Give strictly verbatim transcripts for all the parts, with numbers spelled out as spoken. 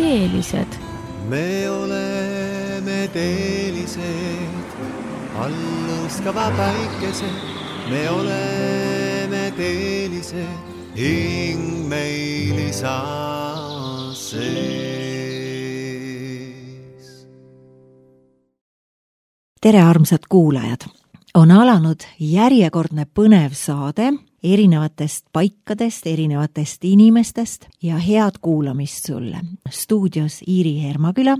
teelised. Me oleme teelised, alluskava päikesed. Me oleme teelised, hing meil isa sees. Tere armsad kuulajad! On alanud järjekordne põnev saade erinevatest paikadest, erinevatest inimestest ja head kuulamist sulle. Stuudios Iiri Hermaküla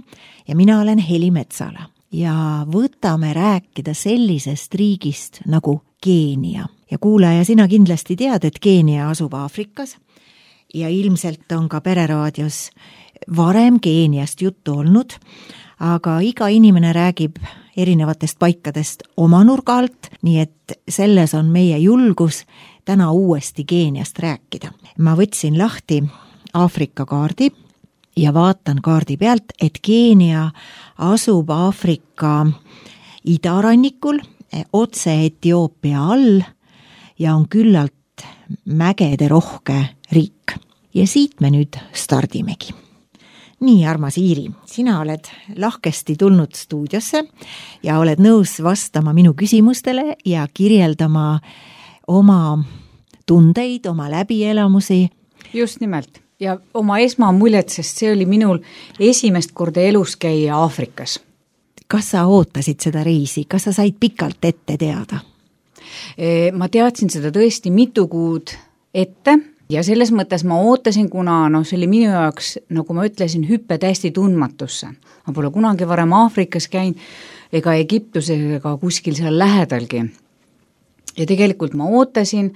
ja mina olen Heli Metsala. Ja võtame rääkida sellisest riigist nagu Keenia. Ja kuulaja, sina kindlasti tead, et Keenia asub Aafrikas ja ilmselt on ka Pereraadios varem Keeniast juttu olnud, aga iga inimene räägib erinevatest paikadest oma nurga alt, nii et selles on meie julgus täna uuesti Keeniast rääkida. Ma võtsin lahti Aafrika kaardi ja vaatan kaardi pealt, et Keenia asub Aafrika idarannikul, otse Etioopia all ja on küllalt mägede rohke riik. Ja siit me nüüd stardimegi. Nii, armas Iiri, sina oled lahkesti tulnud stuudiosse ja oled nõus vastama minu küsimustele ja kirjeldama oma tundeid, oma läbielamusi. Just nimelt. Ja oma esmamuljet, sest see oli minul esimest korda elus käia Aafrikas. Kas sa ootasid seda reisi? Kas sa said pikalt ette teada? Ma teadsin seda tõesti mitu kuud ette. Ja selles mõttes ma ootasin, kuna no, see oli minu jaoks, nagu ma ütlesin, hüppe täiesti tundmatusse. Ma pole kunagi varem Aafrikas käin ega Egiptus ega kuskil seal lähedalgi. Ja tegelikult ma ootasin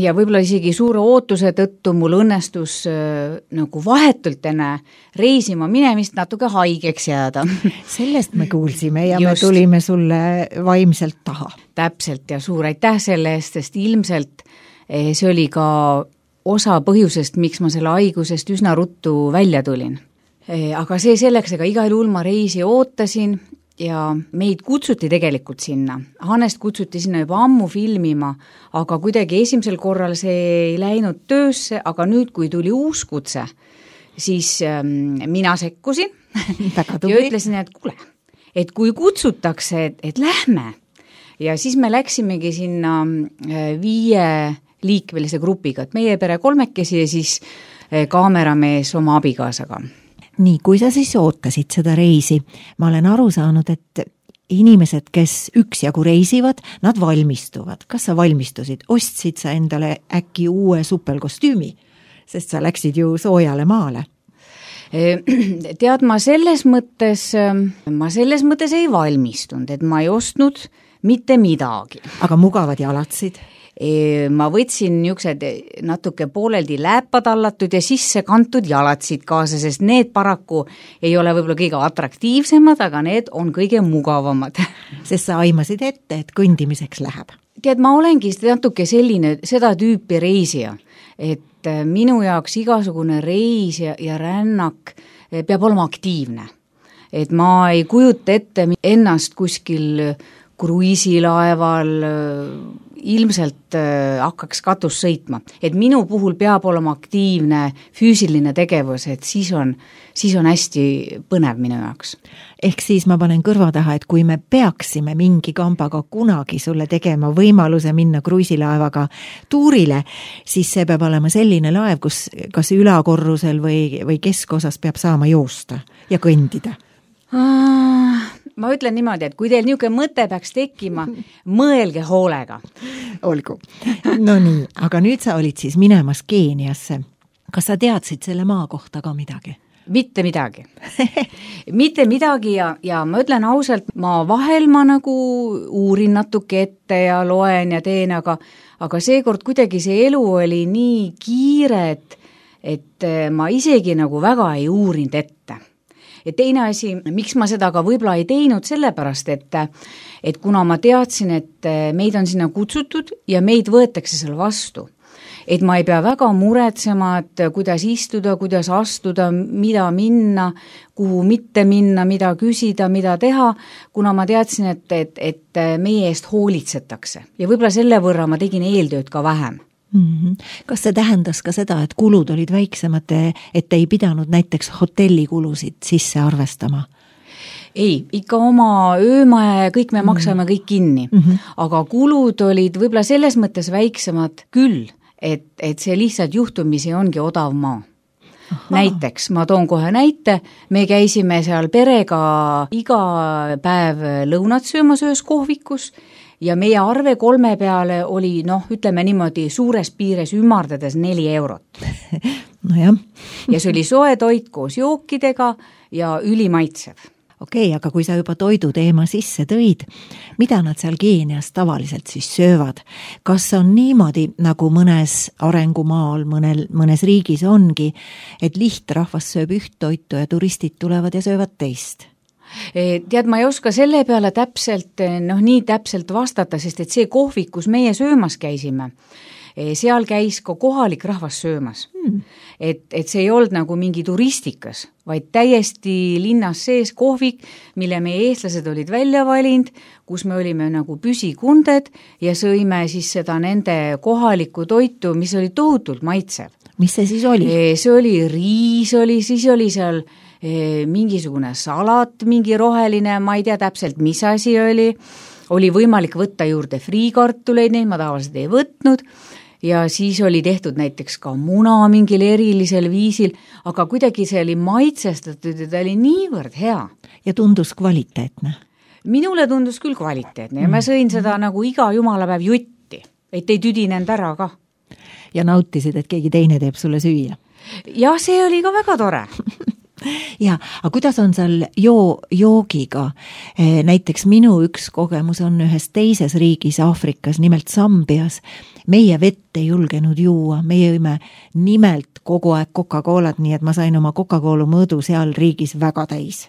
ja võib-olla isegi suure ootuse tõttu mul õnnestus äh, nagu vahetult enne reisima minemist natuke haigeks jääda. Sellest me kuulsime ja Just. me tulime sulle vaimselt taha. Täpselt ja suur aitäh selle eest, sest ilmselt eh, see oli ka osa põhjusest, miks ma selle haigusest üsna ruttu välja tulin. Aga see selleks, ega igal juhul ma reisi ootasin ja meid kutsuti tegelikult sinna. Hannest kutsuti sinna juba ammu filmima, aga kuidagi esimesel korral see ei läinud töösse, aga nüüd, kui tuli uus kutse, siis ähm, mina sekkusin ja ütlesin, et kuule, et kui kutsutakse, et, et lähme. Ja siis me läksimegi sinna äh, viie liikvelise grupiga, et meie pere kolmekesi ja siis kaameramees oma abikaasaga. Nii, kui sa siis ootasid seda reisi, ma olen aru saanud, et inimesed, kes üksjagu reisivad, nad valmistuvad. Kas sa valmistusid? Ostsid sa endale äkki uue supelkostüümi? Sest sa läksid ju soojale maale. Tead, ma selles mõttes, ma selles mõttes ei valmistunud, et ma ei ostnud mitte midagi. Aga mugavad jalatsid? Ma võtsin niisugused natuke pooleldi läpatallatud ja sisse kantud jalatsid kaasa, sest need paraku ei ole võib-olla kõige atraktiivsemad, aga need on kõige mugavamad. Sest sa aimasid ette, et kõndimiseks läheb. Tead, ma olengi natuke selline, seda tüüpi reisija, et minu jaoks igasugune reis ja, ja rännak peab olema aktiivne. Et ma ei kujuta ette ennast kuskil kruiisilaeval ilmselt äh, hakkaks katus sõitma. Et minu puhul peab olema aktiivne füüsiline tegevus, et siis on, siis on hästi põnev minu jaoks. Ehk siis ma panen kõrva taha, et kui me peaksime mingi kambaga kunagi sulle tegema võimaluse minna kruiisilaevaga tuurile, siis see peab olema selline laev, kus kas ülakorrusel või, või keskosas peab saama joosta ja kõndida. Ah, ma ütlen niimoodi, et kui teil niisugune mõte peaks tekkima, mõelge hoolega. Olgu. No nii, aga nüüd sa olid siis minemas Keeniasse. Kas sa teadsid selle maa kohta ka midagi? Mitte midagi. Mitte midagi ja, ja ma ütlen ausalt, ma vahel ma nagu uurin natuke ette ja loen ja teen, aga, aga seekord kuidagi see elu oli nii kiire, et, et ma isegi nagu väga ei uurinud ette. Ja teine asi, miks ma seda ka võib-olla ei teinud, sellepärast, et, et kuna ma teadsin, et meid on sinna kutsutud ja meid võetakse seal vastu, et ma ei pea väga muretsema, et kuidas istuda, kuidas astuda, mida minna, kuhu mitte minna, mida küsida, mida teha, kuna ma teadsin, et, et, et meie eest hoolitsetakse. Ja võib-olla selle võrra ma tegin eeltööd ka vähem. Mm-hmm. Kas see tähendas ka seda, et kulud olid väiksemad, et ei pidanud näiteks hotellikulusid sisse arvestama? Ei, ikka oma öömaja ja kõik me maksame kõik kinni, mm-hmm. aga kulud olid võib-olla selles mõttes väiksemad küll, et, et see lihtsalt juhtumisi ongi odav maa. Aha. Näiteks, ma toon kohe näite, me käisime seal perega iga päev lõunat söömas ühes kohvikus ja meie arve kolme peale oli, noh, ütleme niimoodi suures piires ümardades neli eurot. No jah. Ja see oli soe toit koos jookidega ja ülimaitsev. Okei, aga kui sa juba toidu teema sisse tõid, mida nad seal Keenias tavaliselt siis söövad? Kas on niimoodi, nagu mõnes arengumaal, mõnel, mõnes riigis ongi, et lihtrahvas sööb üht toitu ja turistid tulevad ja söövad teist? Tead, ma ei oska selle peale täpselt, noh nii täpselt vastata, sest et see kohvik, kus meie söömas käisime, seal käis ka kohalik rahvas söömas. Hmm. Et, et see ei olnud nagu mingi turistikas, vaid täiesti linnas sees kohvik, mille meie eestlased olid välja valinud, kus me olime nagu püsikunded ja sõime siis seda nende kohalikku toitu, mis oli tohutult maitsev. Mis see siis oli? See oli riis, oli, siis oli seal mingisugune salat, mingi roheline, ma ei tea täpselt, mis asi oli. Oli võimalik võtta juurde friikartuleid, neid ma tavaliselt ei võtnud. Ja siis oli tehtud näiteks ka muna mingil erilisel viisil, aga kuidagi see oli maitsestatud ja ta oli niivõrd hea. Ja tundus kvaliteetne? Minule tundus küll kvaliteetne ja ma sõin seda nagu iga jumalapäev jutti, et ei tüdinenud ära ka. Ja nautisid, et keegi teine teeb sulle süüa? Ja see oli ka väga tore. Ja, aga kuidas on seal joo, joogiga? Näiteks minu üks kogemus on ühes teises riigis Aafrikas, nimelt Sambias. Meie vett ei julgenud juua, meie jõime nimelt kogu aeg Coca-Colat, nii et ma sain oma Coca-Cola mõõdu seal riigis väga täis.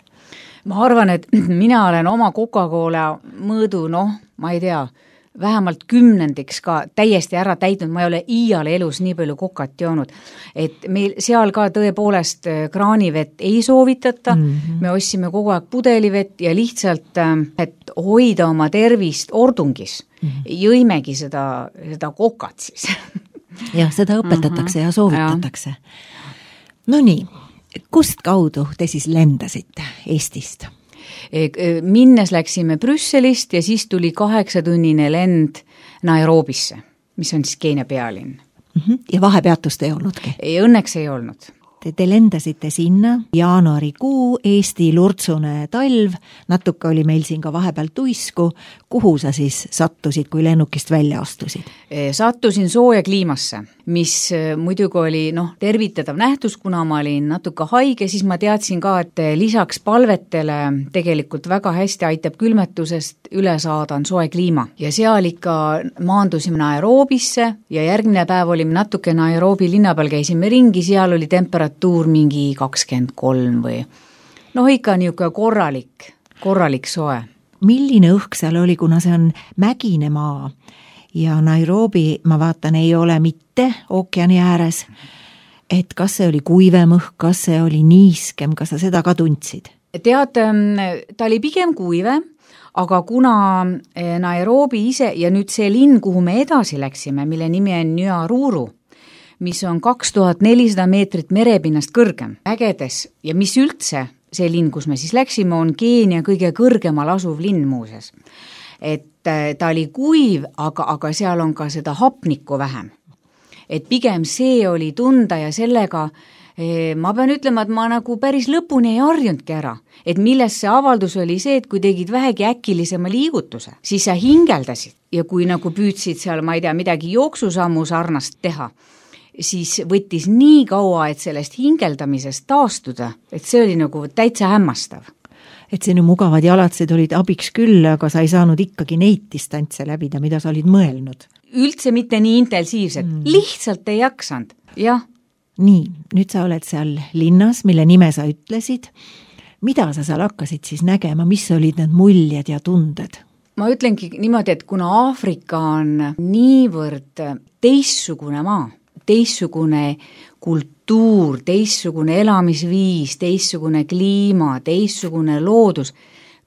Ma arvan, et mina olen oma Coca-Cola mõõdu, noh, ma ei tea, vähemalt kümnendiks ka täiesti ära täitnud, ma ei ole iiale elus nii palju kokat joonud, et meil seal ka tõepoolest kraanivett ei soovitata, mm-hmm. me ostsime kogu aeg pudelivett ja lihtsalt, et hoida oma tervist ordungis, mm-hmm. jõimegi seda, seda kokat siis. Ja seda õpetatakse mm-hmm. ja soovitatakse. No nii, kust kaudu te siis lendasite Eestist? Minnes läksime Brüsselist ja siis tuli kaheksatunnine lend Nairobisse, mis on siis Keenia pealinn. Ja vahepeatust ei olnudki? Ei, õnneks ei olnud. Te, te lendasite sinna, jaanuarikuu, Eesti lurtsune talv, natuke oli meil siin ka vahepeal tuisku. Kuhu sa siis sattusid, kui lennukist välja astusid? Sattusin sooja kliimasse, mis muidugi oli noh, tervitatav nähtus, kuna ma olin natuke haige, siis ma teadsin ka, et lisaks palvetele tegelikult väga hästi aitab külmetusest üle saada on soe kliima. Ja seal ikka maandusime Nairobisse ja järgmine päev olime natuke Nairobi linna peal, käisime ringi, seal oli temperatuur mingi kakskümmend kolm või noh, ikka niisugune korralik, korralik soe. Milline õhk seal oli, kuna see on mägine maa ja Nairobi, ma vaatan, ei ole mitte ookeani ääres, et kas see oli kuivem õhk, kas see oli niiskem, kas sa seda ka tundsid? Tead, ta oli pigem kuivem, aga kuna Nairobi ise ja nüüd see linn, kuhu me edasi läksime, mille nimi on Nyahururu, mis on kaks tuhat nelisada meetrit merepinnast kõrgem, ägedes ja mis üldse see linn, kus me siis läksime, on Keenia kõige kõrgemal asuv linn muuses. Et ta oli kuiv, aga, aga seal on ka seda hapnikku vähem. Et pigem see oli tunda ja sellega ma pean ütlema, et ma nagu päris lõpuni ei harjunudki ära. Et milles see avaldus oli see, et kui tegid vähegi äkilisema liigutuse, siis sa hingeldasid ja kui nagu püüdsid seal, ma ei tea, midagi jooksusammu sarnast teha, siis võttis nii kaua, et sellest hingeldamisest taastuda, et see oli nagu täitsa hämmastav. Et sinu mugavad jalatsid olid abiks küll, aga sa ei saanud ikkagi neid distantse läbida, mida sa olid mõelnud. Üldse mitte nii intensiivselt, mm. lihtsalt ei jaksanud, jah. Nii, nüüd sa oled seal linnas, mille nime sa ütlesid. Mida sa seal hakkasid siis nägema, mis olid need muljed ja tunded? Ma ütlengi niimoodi, et kuna Aafrika on niivõrd teistsugune maa, teistsugune kultuur, teistsugune elamisviis, teistsugune kliima, teistsugune loodus,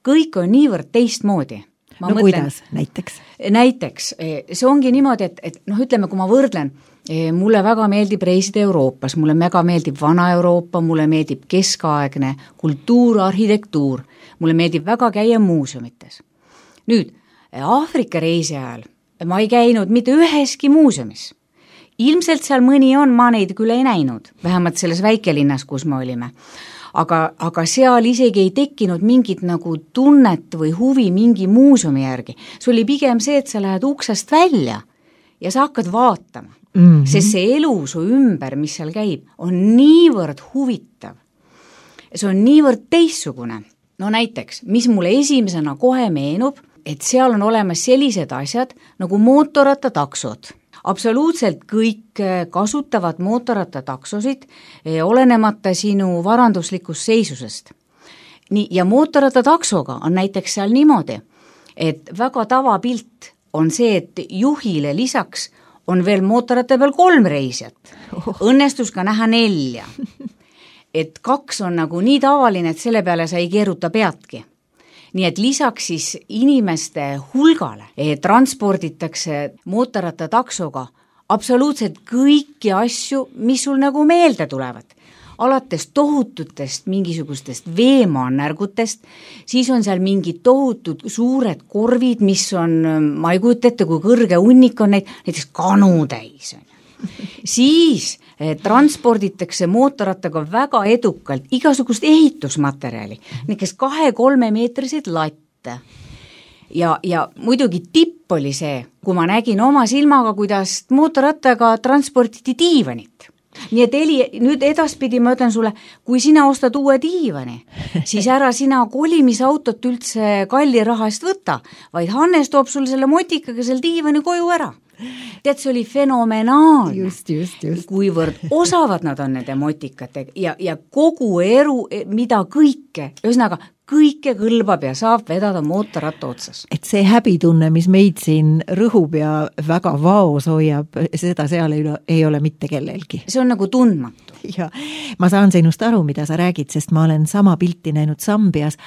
kõik on niivõrd teistmoodi. Ma no mõtlen, kuidas näiteks? Näiteks, see ongi niimoodi, et, et noh, ütleme, kui ma võrdlen, mulle väga meeldib reisida Euroopas, mulle väga meeldib vana Euroopa, mulle meeldib keskaegne kultuur, arhitektuur, mulle meeldib väga käia muuseumites. Nüüd, Aafrika reisi ajal ma ei käinud mitte üheski muuseumis. Ilmselt seal mõni on, ma neid küll ei näinud, vähemalt selles väikelinnas, kus me olime. Aga, aga seal isegi ei tekkinud mingit nagu tunnet või huvi mingi muuseumi järgi. See oli pigem see, et sa lähed uksest välja ja sa hakkad vaatama. Mm-hmm. Sest see elu su ümber, mis seal käib, on niivõrd huvitav. See on niivõrd teistsugune. No näiteks, mis mulle esimesena kohe meenub, et seal on olemas sellised asjad nagu mootorrattataksod. Absoluutselt kõik kasutavad mootorrattataksosid, olenemata sinu varanduslikust seisusest. Nii, ja mootorrattataksoga on näiteks seal niimoodi, et väga tavapilt on see, et juhile lisaks on veel mootorratta peal kolm reisijat. Õnnestus ka näha nelja. Et kaks on nagu nii tavaline, et selle peale sa ei keeruta peadki. Nii et lisaks siis inimeste hulgale eh, transporditakse mootorrattataksoga absoluutselt kõiki asju, mis sul nagu meelde tulevad. Alates tohututest mingisugustest veemaannärgutest, siis on seal mingid tohutud suured korvid, mis on, ma ei kujuta ette, kui kõrge hunnik on neid, näiteks kanu täis. Siis eh, transporditakse mootorrattaga väga edukalt igasugust ehitusmaterjali, näiteks kahe-kolme meetriseid latte. Ja, ja muidugi tipp oli see, kui ma nägin oma silmaga, kuidas mootorrattaga transportiti diivanit. Nii et Eli, nüüd edaspidi ma ütlen sulle, kui sina ostad uue diivani, siis ära sina kolimisautot üldse kalli raha eest võtta, vaid Hannes toob sul selle motikaga selle diivani koju ära. Tead, see oli fenomenaalne, just, just, just. kuivõrd osavad nad on nende motikatega ja, ja kogu eru, mida kõike, ühesõnaga kõike kõlbab ja saab vedada mootorratta otsas. Et see häbitunne, mis meid siin rõhub ja väga vaos hoiab, seda seal ei ole, ei ole mitte kellelgi. See on nagu tundmatu. Ja ma saan sinust aru, mida sa räägid, sest ma olen sama pilti näinud Sambias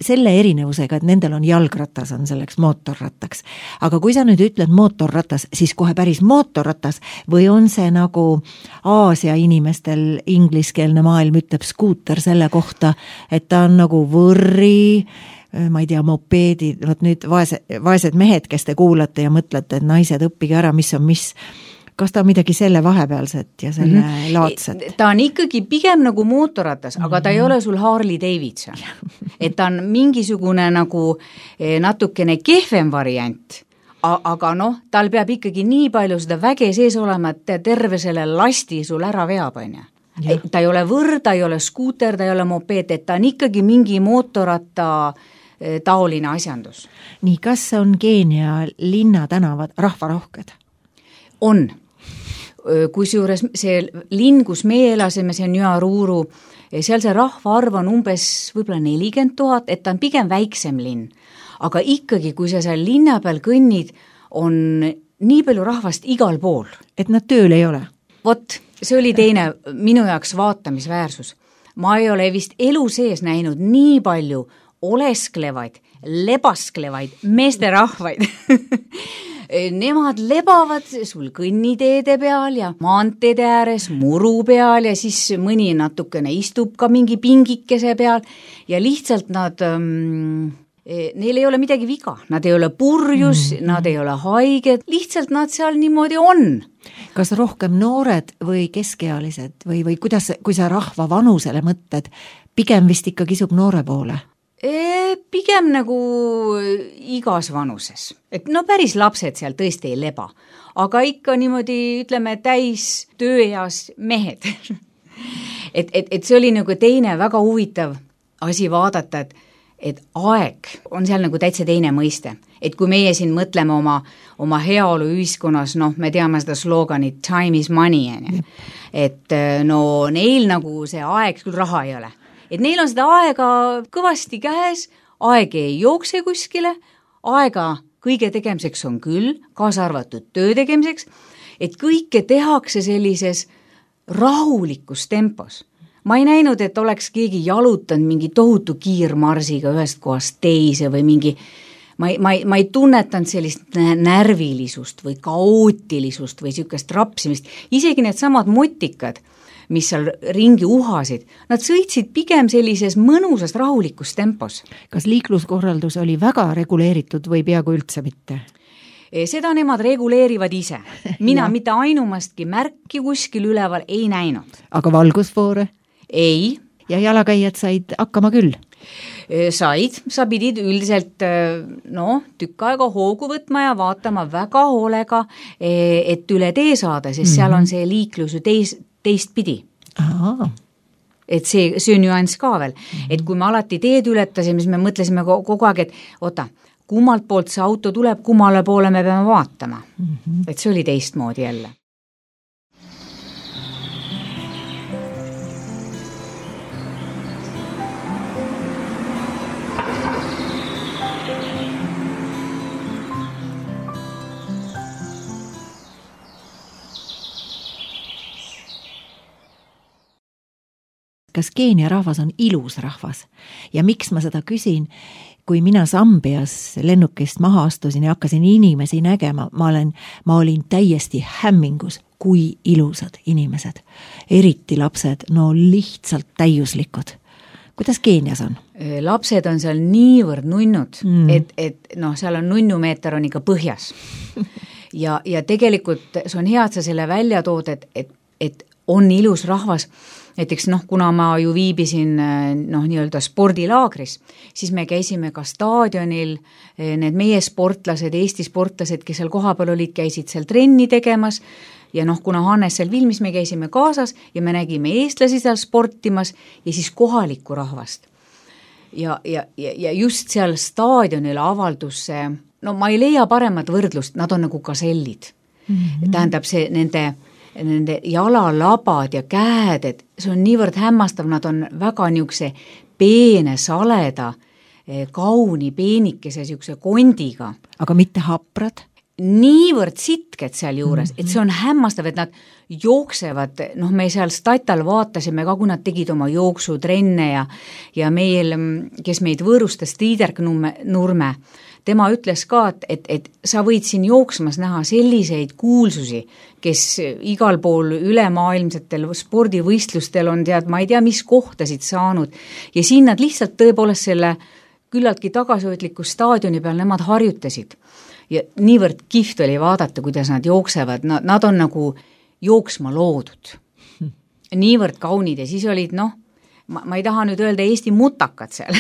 selle erinevusega, et nendel on jalgratas, on selleks mootorrattaks. Aga kui sa nüüd ütled mootorratas, siis kohe päris mootorratas või on see nagu Aasia inimestel ingliskeelne maailm ütleb skuuter selle kohta, et ta on nagu võrri, ma ei tea, mopeedid, võt nüüd vaesed, vaesed mehed, kes te kuulate ja mõtlete, et naised õppige ära, mis on mis. Kas ta on midagi selle vahepealset ja selle mm-hmm. laadset? Ta on ikkagi pigem nagu mootorratas, aga ta ei ole sul Harley Davidson. Et ta on mingisugune nagu natukene kehvem variant, aga noh, tal peab ikkagi nii palju seda väge sees olema, et terve selle lasti sul ära veab, on ju. Ta ei ole võr, ta ei ole skuuter, ta ei ole mopeed, et ta on ikkagi mingi mootorratta taoline asjandus. Nii, kas on Keenia linnatänavad rahvarohked? On. Kusjuures see linn, kus meie elasime, see on Nyaruru, seal see rahvaarv on umbes võib-olla nelikümmend tuhat, et ta on pigem väiksem linn. Aga ikkagi, kui sa seal linna peal kõnnid, on nii palju rahvast igal pool. Et nad tööl ei ole? Vot, see oli teine minu jaoks vaatamisväärsus. Ma ei ole vist elu sees näinud nii palju olesklevaid, lebasklevaid meesterahvaid. Nemad lebavad sul kõnniteede peal ja maanteede ääres, muru peal ja siis mõni natukene istub ka mingi pingikese peal ja lihtsalt nad, ähm, neil ei ole midagi viga, nad ei ole purjus, mm. nad ei ole haiged, lihtsalt nad seal niimoodi on. Kas rohkem noored või keskealised või, või kuidas, kui sa rahva vanusele mõtled, pigem vist ikka kisub noore poole? E, pigem nagu igas vanuses. Et no päris lapsed seal tõesti ei leba, aga ikka niimoodi, ütleme, täis tööeas mehed. et, et, et see oli nagu teine väga huvitav asi vaadata, et, et aeg on seal nagu täitsa teine mõiste. Et kui meie siin mõtleme oma, oma heaolu ühiskonnas, noh, me teame seda sloganit time is money, et no neil nagu see aeg, küll raha ei ole. Et neil on seda aega kõvasti käes, aeg ei jookse kuskile, aega kõige tegemiseks on küll, kaasa arvatud töö tegemiseks, et kõike tehakse sellises rahulikus tempos. Ma ei näinud, et oleks keegi jalutanud mingi tohutu kiirmarsiga ühest kohast teise või mingi, ma ei, ma ei, ma ei tunnetanud sellist närvilisust või kaootilisust või niisugust rapsimist, isegi need samad motikad, mis seal ringi uhasid, nad sõitsid pigem sellises mõnusas rahulikus tempos. Kas liikluskorraldus oli väga reguleeritud või peaaegu üldse mitte? Seda nemad reguleerivad ise. Mina mitte ainumastki märki kuskil üleval ei näinud. Aga valgusfoore? Ei. Ja jalakäijad said hakkama küll? Said, sa pidid üldiselt no, tükk aega hoogu võtma ja vaatama väga hoolega, et üle tee saada, sest mm-hmm. seal on see liiklus ju teis, teist pidi. Aha. Et see, see on nüanss ka veel. Mm-hmm. Et kui me alati teed ületasime, siis me mõtlesime kogu aeg, et oota, kummalt poolt see auto tuleb, kummale poole me peame vaatama. Mm-hmm. Et see oli teistmoodi jälle. Kas Keenia rahvas on ilus rahvas? Ja miks ma seda küsin? Kui mina Sambias lennukist maha astusin ja hakkasin inimesi nägema, ma, olen, ma olin täiesti hämmingus, kui ilusad inimesed. Eriti lapsed, no lihtsalt täiuslikud. Kuidas Keenias on? Lapsed on seal niivõrd nunnud, mm. et, et noh, seal on nunnumeeter on ikka põhjas. ja, ja tegelikult see on hea, et sa selle välja tood, et, et, et on ilus rahvas. Näiteks noh, kuna ma ju viibisin noh, nii-öelda spordilaagris, siis me käisime ka staadionil, need meie sportlased, Eesti sportlased, kes seal kohapeal olid, käisid seal trenni tegemas ja noh, kuna Hannes seal filmis, me käisime kaasas ja me nägime eestlasi seal sportimas ja siis kohalikku rahvast. Ja, ja, ja just seal staadionil avaldus see, no ma ei leia paremat võrdlust, nad on nagu kasellid. Mm-hmm. Tähendab see nende nende jalalabad ja käed, et see on niivõrd hämmastav, nad on väga niisuguse peene, saleda, kauni, peenikese niisuguse kondiga. Aga mitte haprad? Niivõrd sitked seal juures, mm-hmm. et see on hämmastav, et nad jooksevad, noh me seal statal vaatasime ka, kui nad tegid oma jooksutrenne ja, ja meil, kes meid võõrustas, Tiiderk Nurme, tema ütles ka, et, et, et sa võid siin jooksmas näha selliseid kuulsusi, kes igal pool ülemaailmsetel spordivõistlustel on tead, ma ei tea, mis kohtasid saanud ja siin nad lihtsalt tõepoolest selle küllaltki tagasihoidliku staadioni peal nemad harjutasid. Ja niivõrd kihvt oli vaadata, kuidas nad jooksevad, nad, nad on nagu jooksma loodud. Niivõrd kaunid ja siis olid, noh, ma, ma ei taha nüüd öelda Eesti mutakad seal,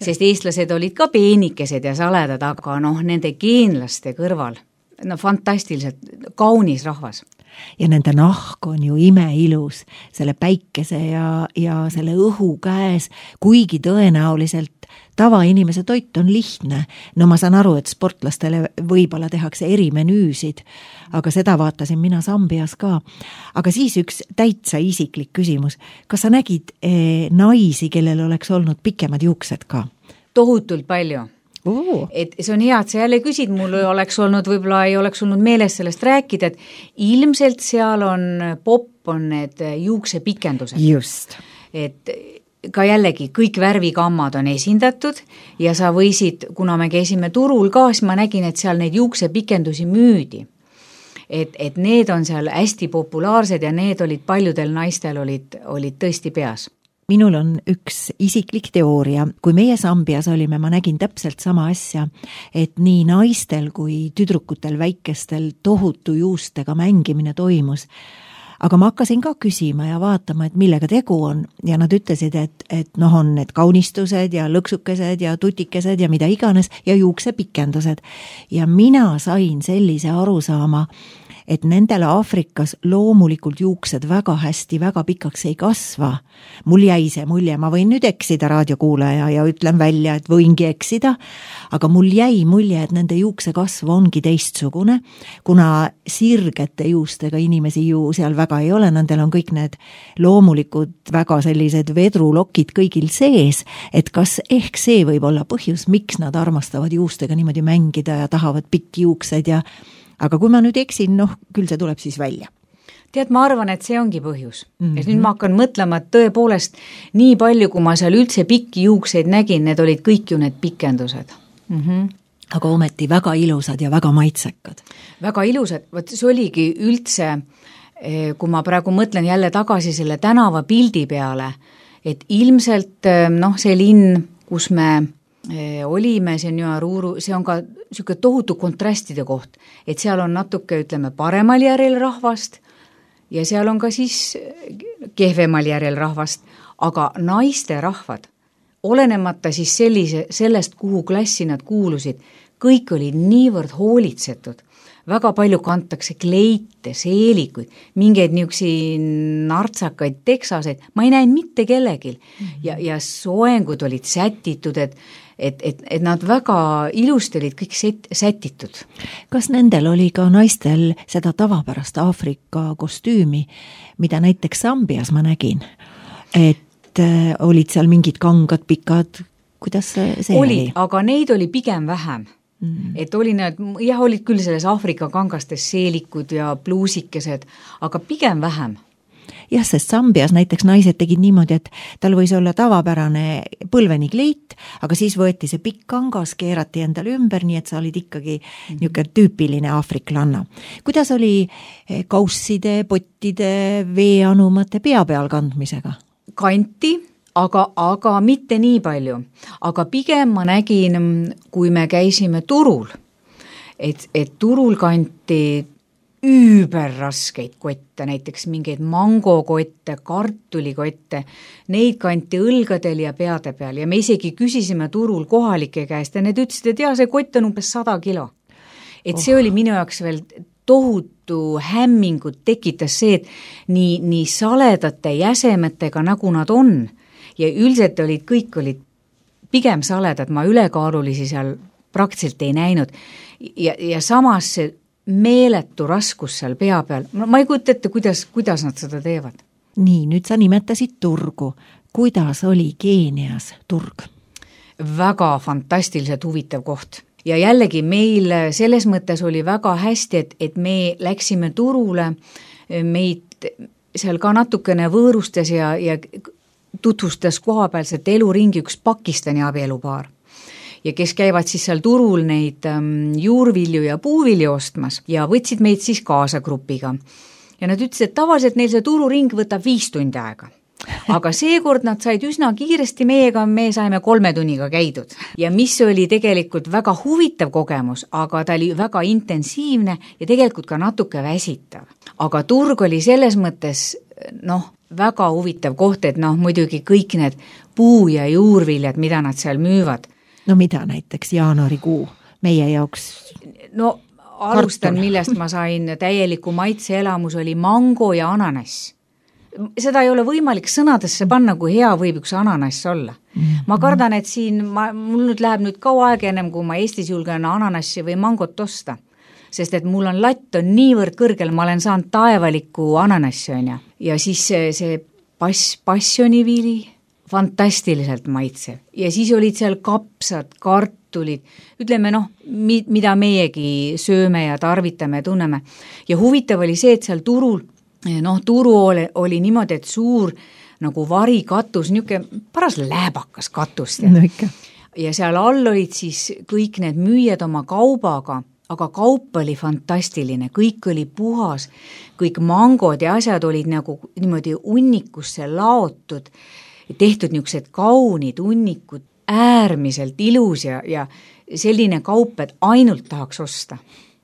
sest eestlased olid ka peenikesed ja saledad, aga noh, nende geenlaste kõrval, no fantastiliselt kaunis rahvas. Ja nende nahk on ju imeilus, selle päikese ja, ja selle õhu käes, kuigi tõenäoliselt tavainimese toit on lihtne. No ma saan aru, et sportlastele võib-olla tehakse erimenüüsid, aga seda vaatasin mina Sambias ka. Aga siis üks täitsa isiklik küsimus. Kas sa nägid eh, naisi, kellel oleks olnud pikemad juuksed ka? Tohutult palju. Uh. Et see on hea, et sa jälle küsid, mul oleks olnud, võib-olla ei oleks olnud meeles sellest rääkida, et ilmselt seal on popp, on need juuksepikendused. Just. Et ka jällegi kõik värvikammad on esindatud ja sa võisid, kuna me käisime turul ka, siis ma nägin, et seal neid juuksepikendusi müüdi. Et, et need on seal hästi populaarsed ja need olid paljudel naistel olid, olid tõesti peas. Minul on üks isiklik teooria. Kui meie Sambias olime, ma nägin täpselt sama asja, et nii naistel kui tüdrukutel väikestel tohutu juustega mängimine toimus. Aga ma hakkasin ka küsima ja vaatama, et millega tegu on ja nad ütlesid, et, et noh on need kaunistused ja lõksukesed ja tutikesed ja mida iganes ja juuksepikendused. Ja mina sain sellise arusaama, et nendel Aafrikas loomulikult juuksed väga hästi, väga pikaks ei kasva. Mul jäi see mulje, ma võin nüüd eksida raadiokuulaja ja ütlen välja, et võingi eksida, aga mul jäi mulje, et nende juukse kasv ongi teistsugune, kuna sirgete juustega inimesi ju seal väga ei ole, nendel on kõik need loomulikud väga sellised vedrulokid kõigil sees, et kas ehk see võib olla põhjus, miks nad armastavad juustega niimoodi mängida ja tahavad pikki juukseid ja aga kui ma nüüd eksin, noh, küll see tuleb siis välja. Tead, ma arvan, et see ongi põhjus. Mm-hmm. Et nüüd ma hakkan mõtlema, et tõepoolest nii palju, kui ma seal üldse pikki juukseid nägin, need olid kõik ju need pikendused. Mm-hmm. aga ometi väga ilusad ja väga maitsekad. Väga ilusad, vot see oligi üldse, kui ma praegu mõtlen jälle tagasi selle tänava pildi peale, et ilmselt noh, see linn, kus me olime, see on Nyaruru, see on ka niisugune tohutu kontrastide koht, et seal on natuke, ütleme, paremal järjel rahvast ja seal on ka siis kehvemal järjel rahvast, aga naiste rahvad, olenemata siis sellise, sellest, kuhu klassi nad kuulusid, kõik olid niivõrd hoolitsetud, väga palju kantakse kleite, seelikuid, mingeid niisugusi nartsakaid teksaseid, ma ei näinud mitte kellegil mm-hmm. ja, ja soengud olid sätitud, et, et, et, et nad väga ilusti olid kõik set, sätitud. Kas nendel oli ka naistel seda tavapärast Aafrika kostüümi, mida näiteks Sambias ma nägin, et äh, olid seal mingid kangad, pikad, kuidas see olid, oli? Aga neid oli pigem vähem. Mm. Et oli need, jah, olid küll selles Aafrika kangastes seelikud ja pluusikesed, aga pigem vähem. Jah, sest Sambias näiteks naised tegid niimoodi, et tal võis olla tavapärane põlveni kleit, aga siis võeti see pikk kangas, keerati endale ümber, nii et sa olid ikkagi mm. niisugune tüüpiline aafriklanna. Kuidas oli kausside, pottide, veeanumate pea peal kandmisega? Kanti, aga, aga mitte nii palju. Aga pigem ma nägin, kui me käisime turul, et, et turul kanti üüberraskeid kotte, näiteks mingeid mangokotte, kartulikotte, neid kanti õlgadel ja peade peal ja me isegi küsisime turul kohalike käest ja need ütlesid, et jah, see kott on umbes sada kilo. Et see oh. oli minu jaoks veel tohutu hämmingut tekitas see, et nii, nii saledate jäsemetega, nagu nad on, ja üldiselt olid, kõik olid pigem saledad, ma ülekaalulisi seal praktiliselt ei näinud. Ja, ja samas see meeletu raskus seal pea peal, ma ei kujuta ette, kuidas, kuidas nad seda teevad. Nii, nüüd sa nimetasid turgu. Kuidas oli Keenias turg? Väga fantastiliselt huvitav koht. Ja jällegi meil selles mõttes oli väga hästi, et, et me läksime turule, meid seal ka natukene võõrustas ja, ja tutvustas kohapealset eluringi üks Pakistani abielupaar. Ja kes käivad siis seal turul neid ähm, juurvilju ja puuvilju ostmas ja võtsid meid siis kaasa grupiga. Ja nad ütlesid, et tavaliselt neil see tururing võtab viis tundi aega. Aga seekord nad said üsna kiiresti meiega, me saime kolme tunniga käidud. Ja mis oli tegelikult väga huvitav kogemus, aga ta oli väga intensiivne ja tegelikult ka natuke väsitav. Aga turg oli selles mõttes, noh, väga huvitav koht, et noh, muidugi kõik need puu- ja juurviljad, mida nad seal müüvad. No mida näiteks jaanuarikuu meie jaoks? No alustan, millest ma sain täieliku maitseelamus, oli mango ja ananass. Seda ei ole võimalik sõnadesse panna, kui hea võib üks ananass olla. Mm-hmm. Ma kardan, et siin, ma, mul nüüd läheb nüüd kaua aeg ennem, kui ma Eestis julgen ananassi või mangot osta. Sest et mul on latt on niivõrd kõrgel, ma olen saanud taevaliku ananassi, on ja. Ja siis see, see pass, passioniviili, fantastiliselt maitsev. Ja siis olid seal kapsad, kartulid, ütleme noh, mida meiegi sööme ja tarvitame ja tunneme. Ja huvitav oli see, et seal turul, noh, turu oli, oli niimoodi, et suur nagu varikatus, niisugune paras lääbakas katus. No ikka. Ja seal all olid siis kõik need müüjad oma kaubaga, aga kaup oli fantastiline, kõik oli puhas, kõik mangod ja asjad olid nagu niimoodi unnikusse laotud, tehtud niisugused kaunid unnikud, äärmiselt ilus ja, ja selline kaup, et ainult tahaks osta.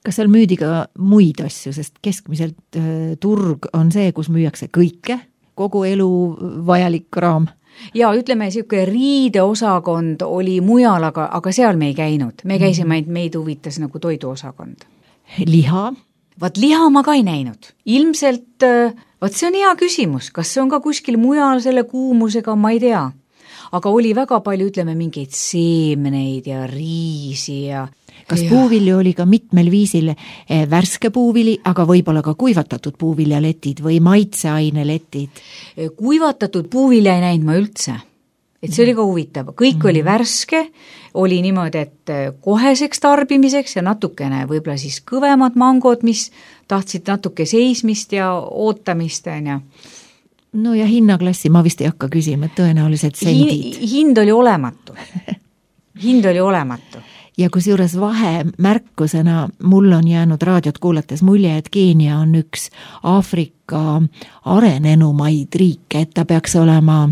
Kas seal müüdi ka muid asju, sest keskmiselt äh, turg on see, kus müüakse kõike, kogu elu vajalik raam? Ja ütleme, niisugune riideosakond oli mujal, aga, aga seal me ei käinud. Me käisime, et meid huvitas nagu toiduosakond. Liha? Vaat liha ma ka ei näinud. Ilmselt, vaat see on hea küsimus. Kas see on ka kuskil mujal selle kuumusega, ma ei tea. Aga oli väga palju, ütleme, mingeid seemneid ja riisi ja... Kas ja. Puuvilju oli ka mitmel viisil värske puuvili, aga võib-olla ka kuivatatud puuviljaletid või maitseaineletid? Kuivatatud puuvilja ei näinud ma üldse. Et see oli ka huvitav. Kõik mm. oli värske, oli niimoodi, et koheseks tarbimiseks ja natukene võib-olla siis kõvemad mangod, mis tahtsid natuke seismist ja ootamist. Ja. No ja hinnaklassi ma vist ei hakka küsima, et tõenäoliselt sendid. Hind oli olematu. Hind oli olematu. ja kusjuures vahemärkusena mul on jäänud raadiot kuulates mulje, et Keenia on üks Aafrika arenenumaid riike, et ta peaks olema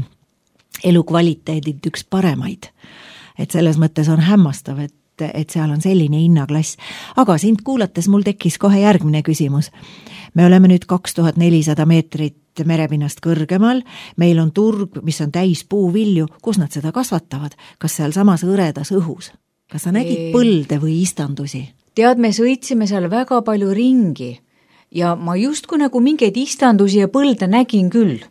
elukvaliteedilt üks paremaid. Et selles mõttes on hämmastav, et, et seal on selline hinnaklass. Aga sind kuulates mul tekkis kohe järgmine küsimus. Me oleme nüüd kaks tuhat nelisada meetrit merepinnast kõrgemal, meil on turg, mis on täis puuvilju, kus nad seda kasvatavad? Kas seal samas õredas õhus? Kas sa nägid põlde või istandusi? Tead, me sõitsime seal väga palju ringi ja ma justkui nagu mingeid istandusi ja põlde nägin küll,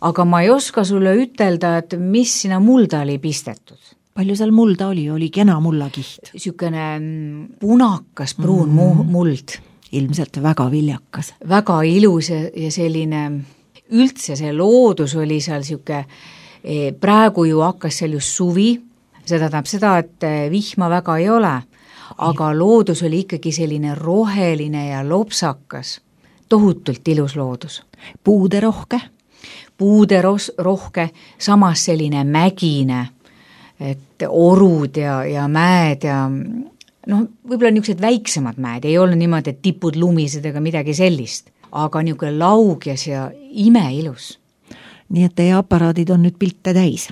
aga ma ei oska sulle ütelda, et mis sinna mulda oli pistetud. Palju seal mulda oli? Oli kena mullakiht? Sükene punakas pruun mm. muld. Ilmselt väga viljakas. Väga ilus ja selline, üldse see loodus oli seal syke, praegu ju hakkas seal just suvi, seda tähendab seda, et vihma väga ei ole, aga loodus oli ikkagi selline roheline ja lopsakas, tohutult ilus loodus. Puude rohke? Puude ros- rohke, samas selline mägine, et orud ja, ja mäed ja noh, võib-olla niisugused väiksemad mäed, ei ole niimoodi, et tipud lumised ega midagi sellist, aga niisugune laugjas ja imeilus. Nii et teie aparaadid on nüüd pilte täis?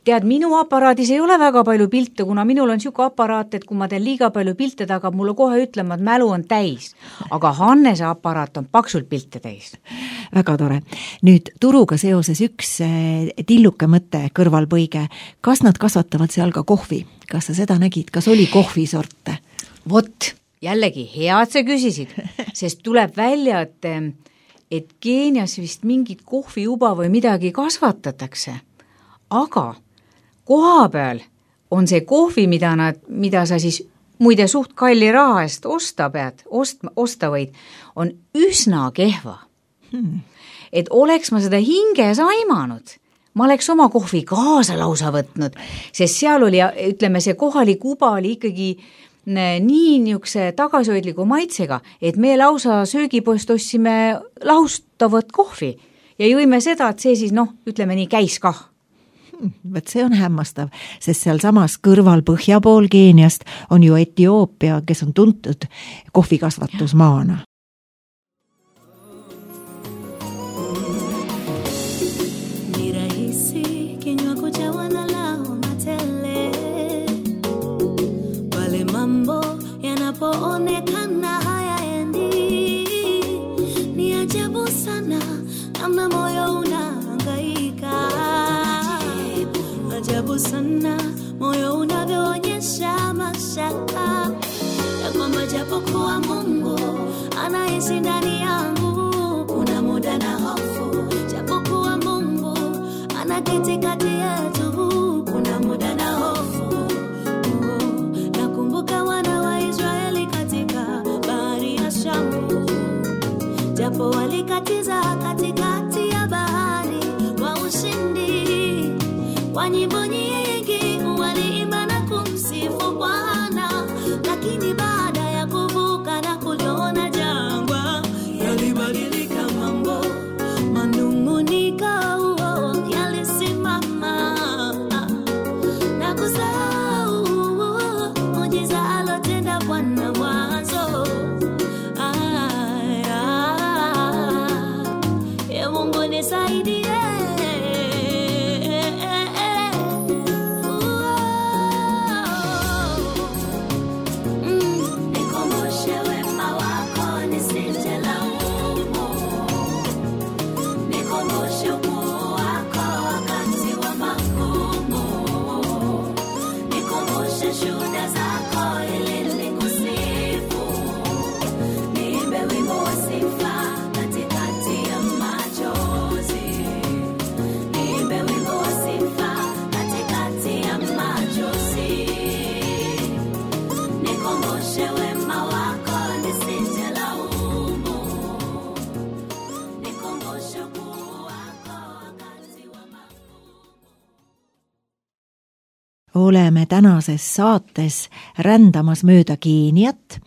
Tead, minu aparaadis ei ole väga palju pilte, kuna minul on siuke aparaat, et kui ma teen liiga palju pilte, ta hakkab mulle kohe ütlema, et mälu on täis. Aga Hannese aparaat on paksult pilte täis. Väga tore. Nüüd turuga seoses üks tilluke mõte kõrvalpõige. Kas nad kasvatavad seal ka kohvi? Kas sa seda nägid? Kas oli kohvisorte? Vot, jällegi hea, et sa küsisid, sest tuleb välja, et, et Keenias vist mingit kohviuba või midagi kasvatatakse. Aga koha peal on see kohvi, mida, nad, mida sa siis muide suht kalli raha eest osta pead, ost, osta võid, on üsna kehva. Hmm. Et oleks ma seda hinges aimanud, ma oleks oma kohvi kaasa lausa võtnud, sest seal oli, ütleme, see kohalik uba oli ikkagi nii niisuguse tagasihoidliku maitsega, et me lausa söögipoest ostsime laustavat kohvi ja jõime seda, et see siis, noh, ütleme nii, käis kah. Võt see on hämmastav, sest seal samas kõrval põhja pool Keeniast on ju Etioopia, kes on tuntud kohvikasvatusmaana. Ajabu sana moyo unavyoonyesha mashaka ya kwamba japokuwa Mungu anaishi ndani yangu, kuna muda na hofu. Japokuwa Mungu anaketi kati yetu, kuna muda na hofu. Oh, nakumbuka wana wa Israeli katika bahari ya Shamu, japo walikatiza katikati ya bahari kwa ushindi. Kwa nyimbo nyingi waliimba na kumsifu Bwana, lakini baada ya kuvuka na kuliona jangwa, yalibadilika mambo, manung'uniko yalisimama na kusahau muujiza alotenda Bwana mwanzo. Ee Mungu nisaidie. Oleme tänases saates rändamas mööda Keeniat.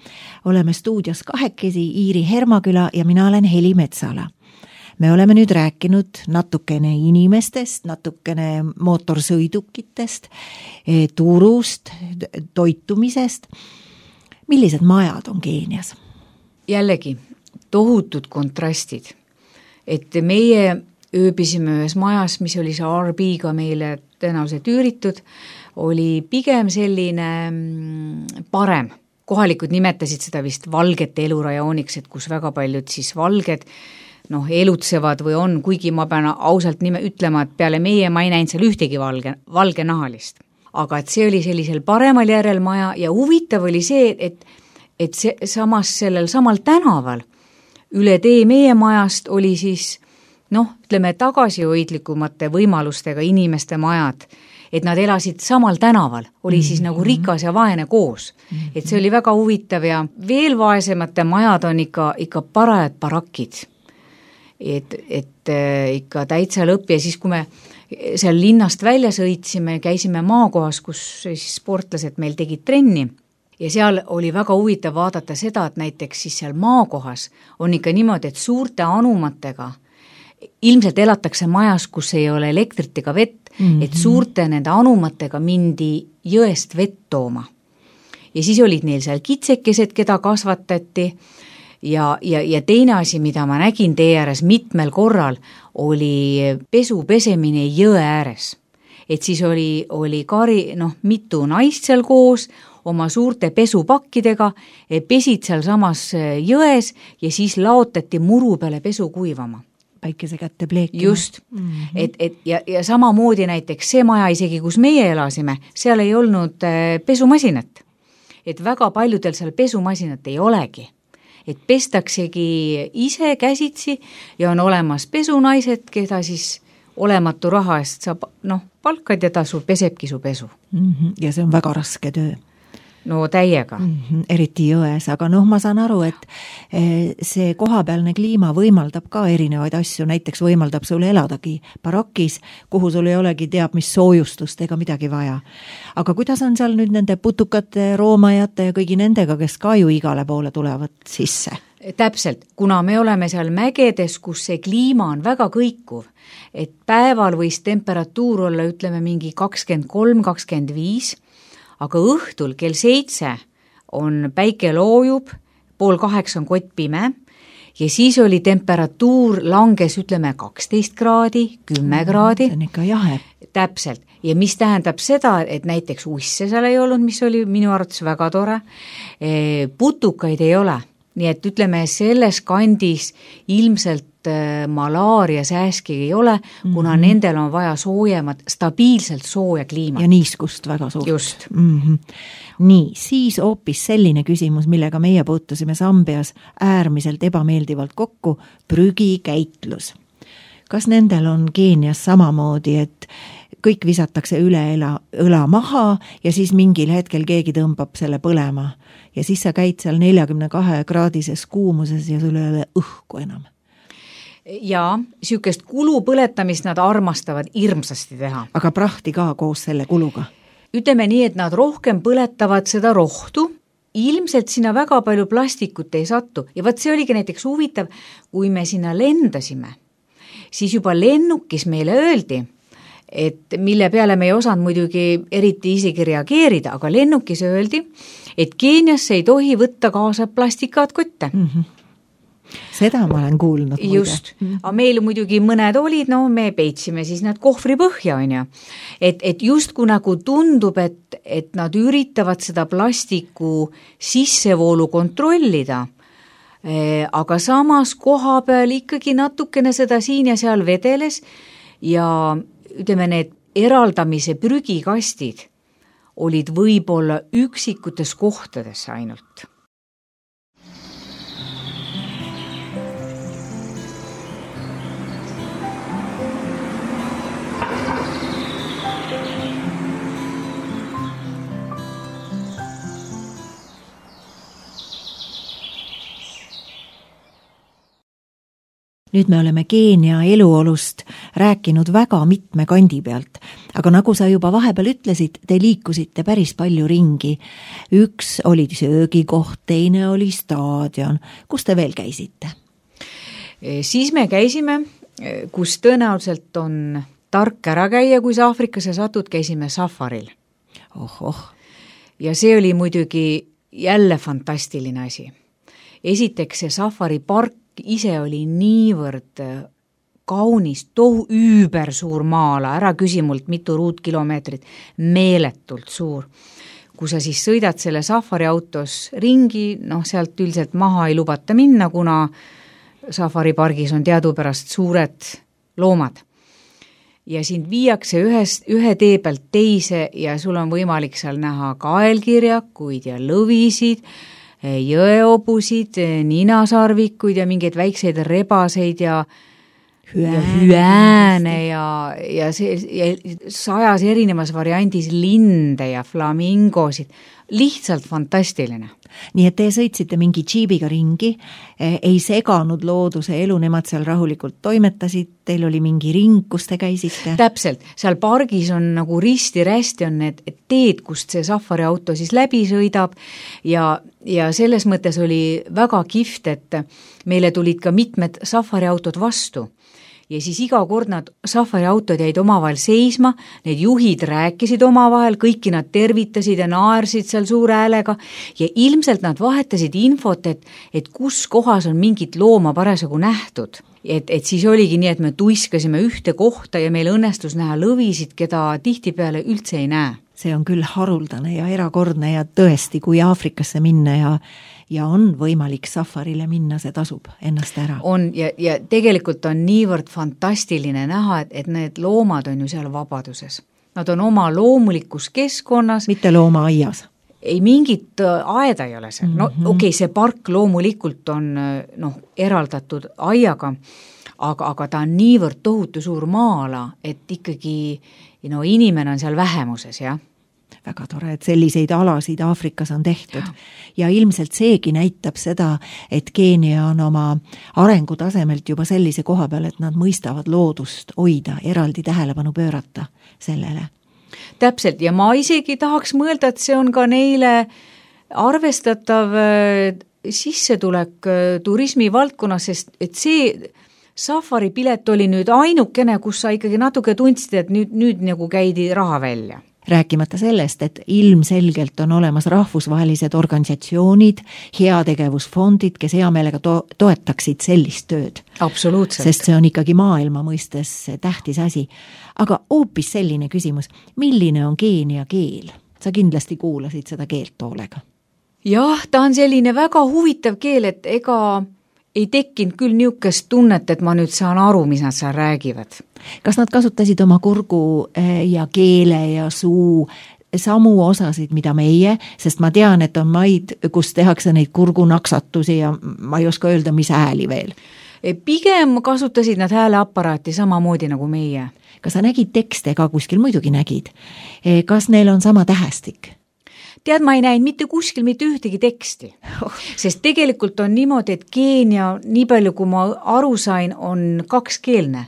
Oleme stuudios kahekesi Iiri Hermaküla ja mina olen Heli Metsala. me oleme nüüd rääkinud natukene inimestest, natukene mootorsõidukitest, turust, toitumisest. Millised majad on Keenias? Jällegi, tohutud kontrastid. Et meie ööbisime ühes majas, mis oli see R B-ga meile tõenäoliselt üüritud, oli pigem selline parem. Kohalikud nimetasid seda vist valgete elurajooniks, et kus väga paljud siis valged noh, elutsevad või on, kuigi ma pean ausalt nime ütlema, et peale meie ma ei näinud seal ühtegi valge, valge nahalist. Aga et see oli sellisel paremal järel maja ja huvitav oli see, et, et see, samas sellel samal tänaval üle tee meie majast oli siis noh, ütleme tagasihoidlikumate võimalustega inimeste majad, et nad elasid samal tänaval, oli siis mm-hmm. nagu rikas ja vaene koos. Mm-hmm. Et see oli väga huvitav ja veel vaesemate majad on ikka, ikka parajad barakid. Et, et äh, ikka täitsa lõpp ja siis, kui me seal linnast välja sõitsime, käisime maakohas, kus siis sportlased meil tegid trenni ja seal oli väga huvitav vaadata seda, et näiteks siis seal maakohas on ikka niimoodi, et suurte anumatega ilmselt elatakse majas, kus ei ole elektrit ega vett, mm-hmm. et suurte nende anumatega mindi jõest vett tooma. Ja siis olid neil seal kitsekesed, keda kasvatati ja, ja, ja teine asi, mida ma nägin tee ääres mitmel korral, oli pesu pesemine jõe ääres. Et siis oli, oli kari, noh, mitu naist seal koos, oma suurte pesupakkidega, pesid seal samas jões ja siis laotati muru peale pesu kuivama. Päikese kätte pleekima. Just, mm-hmm. et, et ja, ja samamoodi näiteks see maja isegi, kus meie elasime, seal ei olnud pesumasinat. Et väga paljudel seal pesumasinat ei olegi. Et pestaksegi ise käsitsi ja on olemas pesunaised, keda siis olematu raha eest saab, noh, palkad ja tasu pesebki su pesu. Mm-hmm. Ja see on väga raske töö. No täiega. Mm-hmm, eriti jões, aga noh, ma saan aru, et see kohapealne kliima võimaldab ka erinevaid asju, näiteks võimaldab sulle eladagi barakis, kuhu sul ei olegi teab mis soojustust ega midagi vaja. Aga kuidas on seal nüüd nende putukate, roomajate ja kõigi nendega, kes ka ju igale poole tulevad sisse? Täpselt, kuna me oleme seal mägedes, kus see kliima on väga kõikuv, et päeval võis temperatuur olla, ütleme, mingi kakskümmend kolm kakskümmend viis, aga õhtul kell seitse on päike loojub, pool kaheksa on kott pime ja siis oli temperatuur langes, ütleme, kaksteist kraadi, kümme kraadi. See on ikka jahe. Täpselt. Ja mis tähendab seda, et näiteks usse seal ei olnud, mis oli minu arvates väga tore. Putukaid ei ole. Nii et ütleme, selles kandis ilmselt malaaria sääski ei ole, kuna mm-hmm. nendel on vaja soojemat, stabiilselt sooja kliimat. Ja niiskust väga suurt. Just. Mm-hmm. Nii, siis hoopis selline küsimus, millega meie puutusime Sambias äärmiselt ebameeldivalt kokku, prügikäitlus. Kas nendel on Keenias samamoodi, et kõik visatakse üle õla, õla maha ja siis mingil hetkel keegi tõmbab selle põlema ja siis sa käid seal neljakümne kahe kraadises kuumuses ja sul ei ole õhku enam? Ja sükest kulu põletamist nad armastavad hirmsasti teha. Aga prahti ka koos selle kuluga? Ütleme nii, et nad rohkem põletavad seda rohtu, ilmselt sinna väga palju plastikut ei sattu ja võt see oligi näiteks huvitav, kui me sinna lendasime, siis juba lennukis meile öeldi, et mille peale me ei osanud muidugi eriti isegi reageerida, aga lennukis öeldi, et Keeniasse ei tohi võtta kaasa plastikaatkotte. Mm-hmm. Seda ma olen kuulnud. Just, aga meil muidugi mõned olid, no me peitsime siis nad kohvri põhja, on ja. Et, et just kui nagu tundub, et, et nad üritavad seda plastiku sissevoolu kontrollida, aga samas koha peal ikkagi natukene seda siin ja seal vedeles ja ütleme, need eraldamise prügikastid olid võib-olla üksikutes kohtades ainult. Nüüd me oleme Keenia eluolust rääkinud väga mitme kandi pealt, aga nagu sa juba vahepeal ütlesid, te liikusite päris palju ringi. Üks oli söögikoht, teine oli staadion. Kus te veel käisite? Siis me käisime, kus tõenäoliselt on tark ära käia, kui sa Aafrikasse satud, käisime safaril. Ohoh. Ja see oli muidugi jälle fantastiline asi. Esiteks see safaripark ise oli niivõrd kaunis, tohu üüber suur maala, ära küsimult mitu ruutkilomeetrit, meeletult suur. Kui sa siis sõidad selle safariautos ringi, noh sealt üldiselt maha ei lubata minna, kuna safaripargis on teadupärast suured loomad. Ja sind viiakse ühes, ühe tee pealt teise ja sul on võimalik seal näha kaelkirjakuid ja lõvisid, jõeobusid, ninasarvikuid ja mingeid väikseid rebaseid ja ja hüääne ja, ja, see, ja sajas erinevas variandis linde ja flamingosid. Lihtsalt fantastiline. Nii et te sõitsite mingi džiibiga ringi, ei seganud looduse elu, nemad seal rahulikult toimetasid, teil oli mingi ring, kus te käisite? Täpselt, seal pargis on nagu risti-rästi on need teed, kust see safariauto siis läbi sõidab ja, ja selles mõttes oli väga kihvt, et meile tulid ka mitmed safariautod vastu. Ja siis iga kord nad safariautod jäid omavahel seisma, need juhid rääkisid omavahel, kõiki nad tervitasid ja naersid seal suure häälega ja ilmselt nad vahetasid infot, et, et kus kohas on mingit looma parasjagu nähtud. Et, et siis oligi nii, et me tuiskasime ühte kohta ja meil õnnestus näha lõvisid, keda tihtipeale üldse ei näe. See on küll haruldane ja erakordne ja tõesti, kui Aafrikasse minna ja ja on võimalik safarile minna, see tasub ennast ära. On ja, ja tegelikult on niivõrd fantastiline näha, et, et need loomad on ju seal vabaduses. Nad on oma loomulikus keskkonnas. Mitte loomaaias. Ei mingit aeda ei ole seal. No mm-hmm. okei, okay, see park loomulikult on noh, eraldatud aiaga, aga, aga ta on niivõrd tohutu suur maala, et ikkagi no, inimene on seal vähemuses, jah. Väga tore, et selliseid alasid Aafrikas on tehtud. Ja ilmselt seegi näitab seda, et Keenia on oma arengutasemelt juba sellise koha peal, et nad mõistavad loodust hoida, eraldi tähelepanu pöörata sellele. Täpselt, ja ma isegi tahaks mõelda, et see on ka neile arvestatav sissetulek turismi valdkonnas, sest et see safari pilet oli nüüd ainukene, kus sa ikkagi natuke tundsid, et nüüd, nüüd nagu käidi raha välja. Rääkimata sellest, et ilmselgelt on olemas rahvusvahelised organisatsioonid, heategevusfondid, kes hea meelega to- toetaksid sellist tööd. Absoluutselt. Sest see on ikkagi maailma mõistes tähtis asi. Aga hoopis selline küsimus, milline on Keenia keel? Sa kindlasti kuulasid seda keelt hoolega. Jah, ta on selline väga huvitav keel, et ega ei tekkinud küll niisugust tunnet, et ma nüüd saan aru, mis nad seal räägivad. Kas nad kasutasid oma kurgu ja keele ja suu samu osasid, mida meie, sest ma tean, et on maid, kus tehakse neid kurgunaksatusi ja ma ei oska öelda, mis hääli veel. Pigem kasutasid nad hääleaparaati samamoodi nagu meie. Kas sa nägid tekste ka kuskil? Muidugi nägid. Kas neil on sama tähestik? Tead, ma ei näinud mitte kuskil mitte ühtegi teksti, sest tegelikult on niimoodi, et Keenia, nii palju kui ma aru sain, on kakskeelne,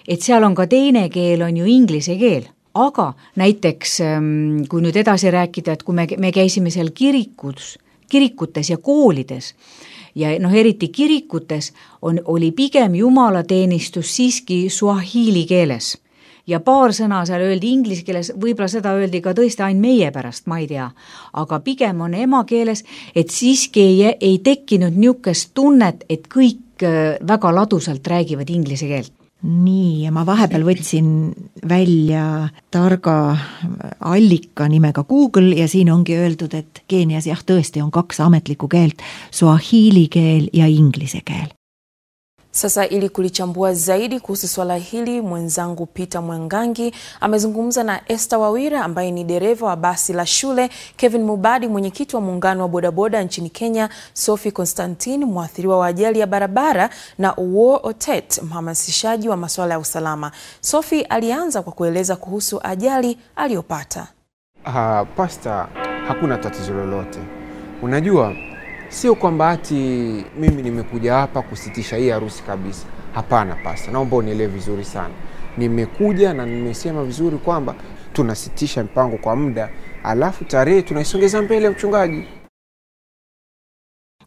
et seal on ka teine keel, on ju inglise keel, aga näiteks kui nüüd edasi rääkida, et kui me, me käisime seal kirikus, kirikutes ja koolides ja noh, eriti kirikutes on, oli pigem jumalateenistus siiski suahiili keeles. Ja paar sõna seal öeldi inglise keeles, võib-olla seda öeldi ka tõesti ainult meie pärast, ma ei tea, aga pigem on ema keeles, et siiski ei, ei tekkinud niisugust tunnet, et kõik väga ladusalt räägivad inglise keelt. Nii, ja ma vahepeal võtsin välja targa allika nimega Google ja siin ongi öeldud, et Keenias jah tõesti on kaks ametlikku keelt, suahiili keel ja inglise keel. Sasa ili kulichambua zaidi kuhusu swala hili, mwenzangu Peter Mwangangi amezungumza na Esther Wawira ambaye ni dereva wa basi la shule, Kevin Mubadi mwenyekiti wa muungano wa bodaboda nchini Kenya, Sophie Constantine mwathiriwa wa ajali ya barabara na Uwo Otet mhamasishaji wa masuala ya usalama. Sophie alianza kwa kueleza kuhusu ajali aliyopata. Uh, pasta, hakuna tatizo lolote. Unajua sio kwamba ati mimi nimekuja hapa kusitisha hii harusi kabisa. Hapana pasta, naomba unielewe vizuri sana. Nimekuja na nimesema vizuri kwamba tunasitisha mpango kwa muda, alafu tarehe tunaisongeza mbele mchungaji.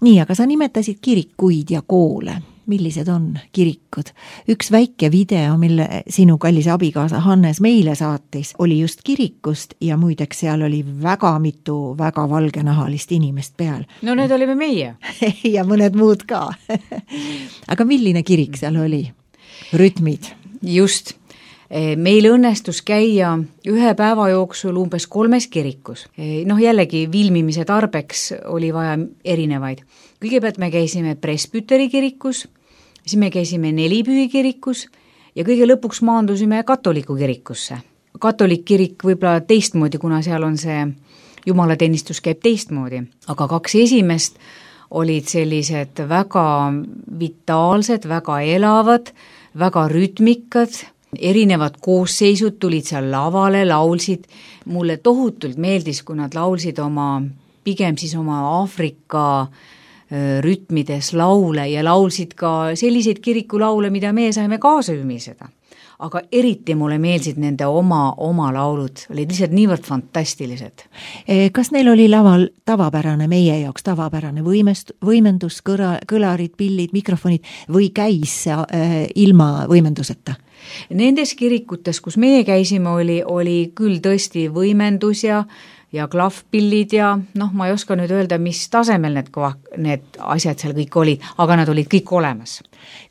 Nii, aga sa nimetasid kirikuid ja koole. millised on kirikud? Üks väike video, mille sinu kallis abikaasa Hannes meile saatis, oli just kirikust ja muideks seal oli väga mitu väga valgenahalist inimest peal. No need olime meie. ja mõned muud ka. Aga milline kirik seal oli? Rütmid? Just. Meil õnnestus käia ühe päeva jooksul umbes kolmes kirikus. Noh, jällegi filmimise tarbeks oli vaja erinevaid. Kõigepealt me käisime Presbyteri kirikus, siis me käisime Nelipühi kirikus ja kõige lõpuks maandusime katoliku kirikusse. Katolik kirik võib-olla teistmoodi, kuna seal on see jumalateenistus käib teistmoodi, aga kaks esimest olid sellised väga vitaalsed, väga elavad, väga rütmikad, erinevad koosseisud tulid seal lavale, laulsid. Mulle tohutult meeldis, kui nad laulsid oma, pigem siis oma Aafrika rütmides laule ja laulsid ka selliseid kirikulaule, mida me saime kaasa ümiseda. Aga eriti mulle meeldisid nende oma, oma laulud, olid lihtsalt niivõrd fantastilised. Kas neil oli laval tavapärane, meie jaoks tavapärane võimest, võimendus, kõra, kõlarid, pillid, mikrofonid või käis äh, ilma võimenduseta? Nendes kirikutes, kus meie käisime, oli, oli küll tõesti võimendus ja ja klahvpillid ja noh, ma ei oska nüüd öelda, mis tasemel need, need asjad seal kõik olid, aga nad olid kõik olemas.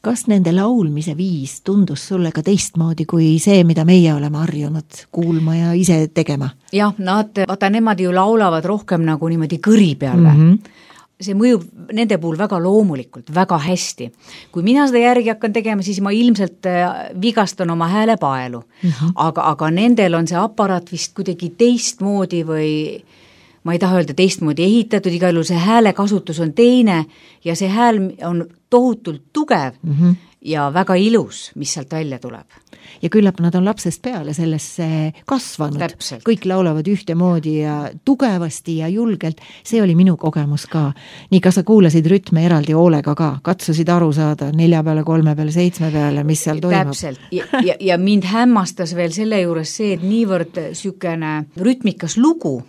Kas nende laulmise viis tundus sulle ka teistmoodi kui see, mida meie oleme harjunud kuulma ja ise tegema? Jah, nad, vaata, nemad ju laulavad rohkem nagu niimoodi kõri peale. Mm -hmm. See mõjub nende puhul väga loomulikult, väga hästi. Kui mina seda järgi hakkan tegema, siis ma ilmselt vigastan oma häälepaelu. Mm-hmm. Aga, aga nendel on see aparaat vist kuidagi teistmoodi või ma ei taha öelda teistmoodi ehitatud, igal juhul see häälekasutus on teine ja see hääl on tohutult tugev mm-hmm. ja väga ilus, mis sealt välja tuleb. Ja küllap nad on lapsest peale sellesse kasvanud. Täpselt. Kõik laulavad ühtemoodi ja tugevasti ja julgelt. See oli minu kogemus ka. Nii, kas sa kuulasid rütme eraldi hoolega ka? Katsusid aru saada nelja peale, kolme peale, seitsme peale, mis seal toimub? Täpselt. Ja, ja, ja mind hämmastas veel selle juures see, et niivõrd sükene rütmikas lugu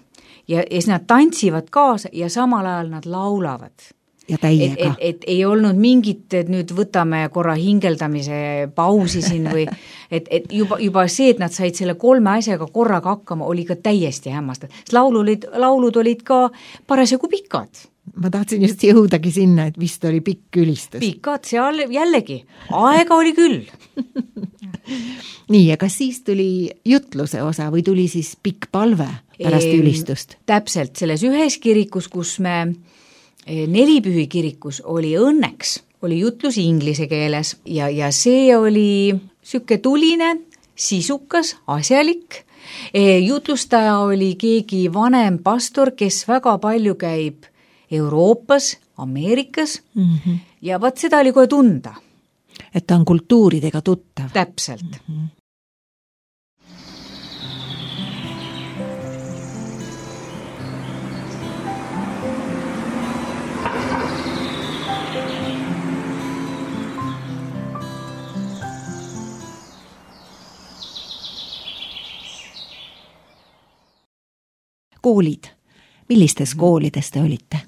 ja, ja nad tantsivad kaasa ja samal ajal nad laulavad. Ja täiega. Et, et, et ei olnud mingit, et nüüd võtame korra hingeldamise pausi siin või et, et juba, juba see, et nad said selle kolme asjaga korraga hakkama, oli ka täiesti hämmastav. Laulud, laulud olid ka parasjagu pikad. Ma tahtsin just jõudagi sinna, et vist oli pikk ülistus. Pikad, seal jällegi. Aega oli küll. Nii, ja kas siis tuli jutluse osa või tuli siis pikk palve pärast e, ülistust? Täpselt, selles ühes kirikus, kus me Nelipühi kirikus oli õnneks, oli jutlus inglise keeles ja, ja see oli süke tuline, sisukas, asjalik. Jutlustaja oli keegi vanem pastor, kes väga palju käib Euroopas, Ameerikas mm-hmm. ja vaat seda oli kohe tunda. Et ta on kultuuridega tuttav. Täpselt. Mm-hmm. Koolid. Millistes koolides te olite?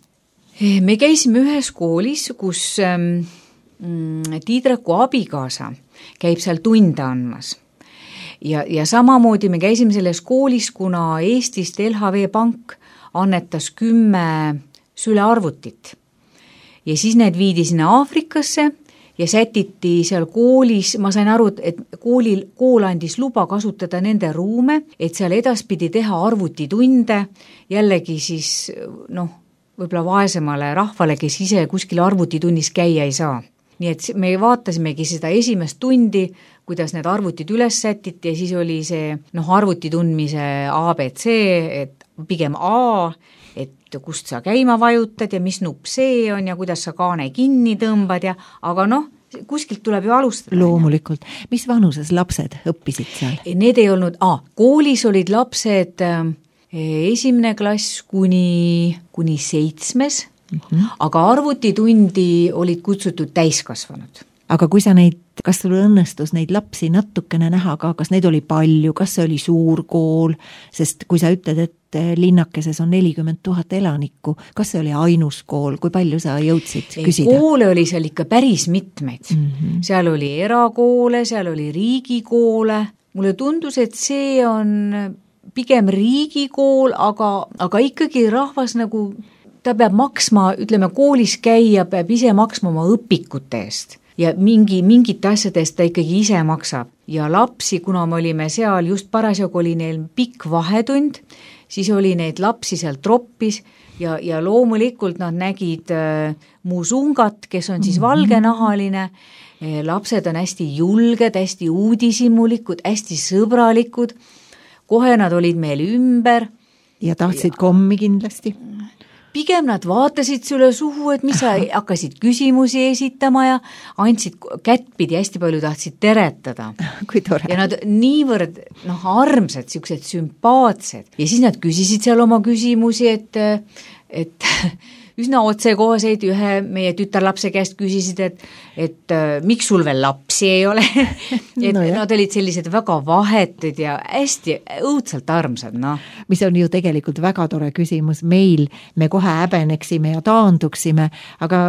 Me käisime ühes koolis, kus ähm, Tiidreku abikaasa käib seal tunde andmas. Ja, ja samamoodi me käisime selles koolis, kuna Eestist L H V Pank annetas kümme sülearvutit. Ja siis need viidi sinna Aafrikasse ja sätiti seal koolis, ma sain aru, et koolil, kool andis luba kasutada nende ruume, et seal edaspidi teha arvutitunde, jällegi siis noh, võib-olla vaesemale rahvale, kes ise kuskil arvutitunnis käia ei saa. Nii et me vaatasimegi seda esimest tundi, kuidas need arvutid üles sätiti ja siis oli see noh, arvuti tundmise A B C, et pigem A, et kust sa käima vajutad ja mis nupp see on ja kuidas sa kaane kinni tõmbad ja, aga noh, kuskilt tuleb ju alustada. Loomulikult. Mis vanuses lapsed õppisid seal? Need ei olnud, ah, koolis olid lapsed äh, esimene klass kuni, kuni seitsmes, mm-hmm. aga arvutitundi olid kutsutud täiskasvanud. aga kui sa neid, kas sul õnnestus neid lapsi natukene näha ka, kas neid oli palju, kas see oli suur kool, sest kui sa ütled, et linnakeses on nelikümmend tuhat elanikku, kas see oli ainus kool, kui palju sa jõudsid küsida? Koole oli seal ikka päris mitmeid. Mm -hmm. Seal oli erakoole, seal oli riigikoole. Mulle tundus, et see on pigem riigikool, aga, aga ikkagi rahvas nagu, ta peab maksma, ütleme, koolis käia, peab ise maksma oma õpikute eest. Ja mingi, mingite asjadest ta ikkagi ise maksab. Ja lapsi, kuna me olime seal, just parasjagu oli neil pikk vahetund, siis oli neid lapsi seal troppis ja, ja loomulikult nad nägid äh, musungat, kes on siis valgenahaline. Lapsed on hästi julged, hästi uudishimulikud, hästi sõbralikud. Kohe nad olid meil ümber. Ja tahtsid ja... kommi kindlasti? Pigem nad vaatasid sulle suhu, et mis sa hakkasid küsimusi esitama ja andsid kättpidi, hästi palju tahtsid teretada. Kui tore. Ja nad niivõrd noh, armsad, siuksed sümpaatsed. Ja siis nad küsisid seal oma küsimusi, et, et üsna otsekohaseid ühe meie tütarlapse käest küsisid, et, et miks sul veel lapsi ei ole. et no nad olid sellised väga vahetud ja hästi õudselt armsad. No. Mis on ju tegelikult väga tore küsimus meil, me kohe häbeneksime ja taanduksime, aga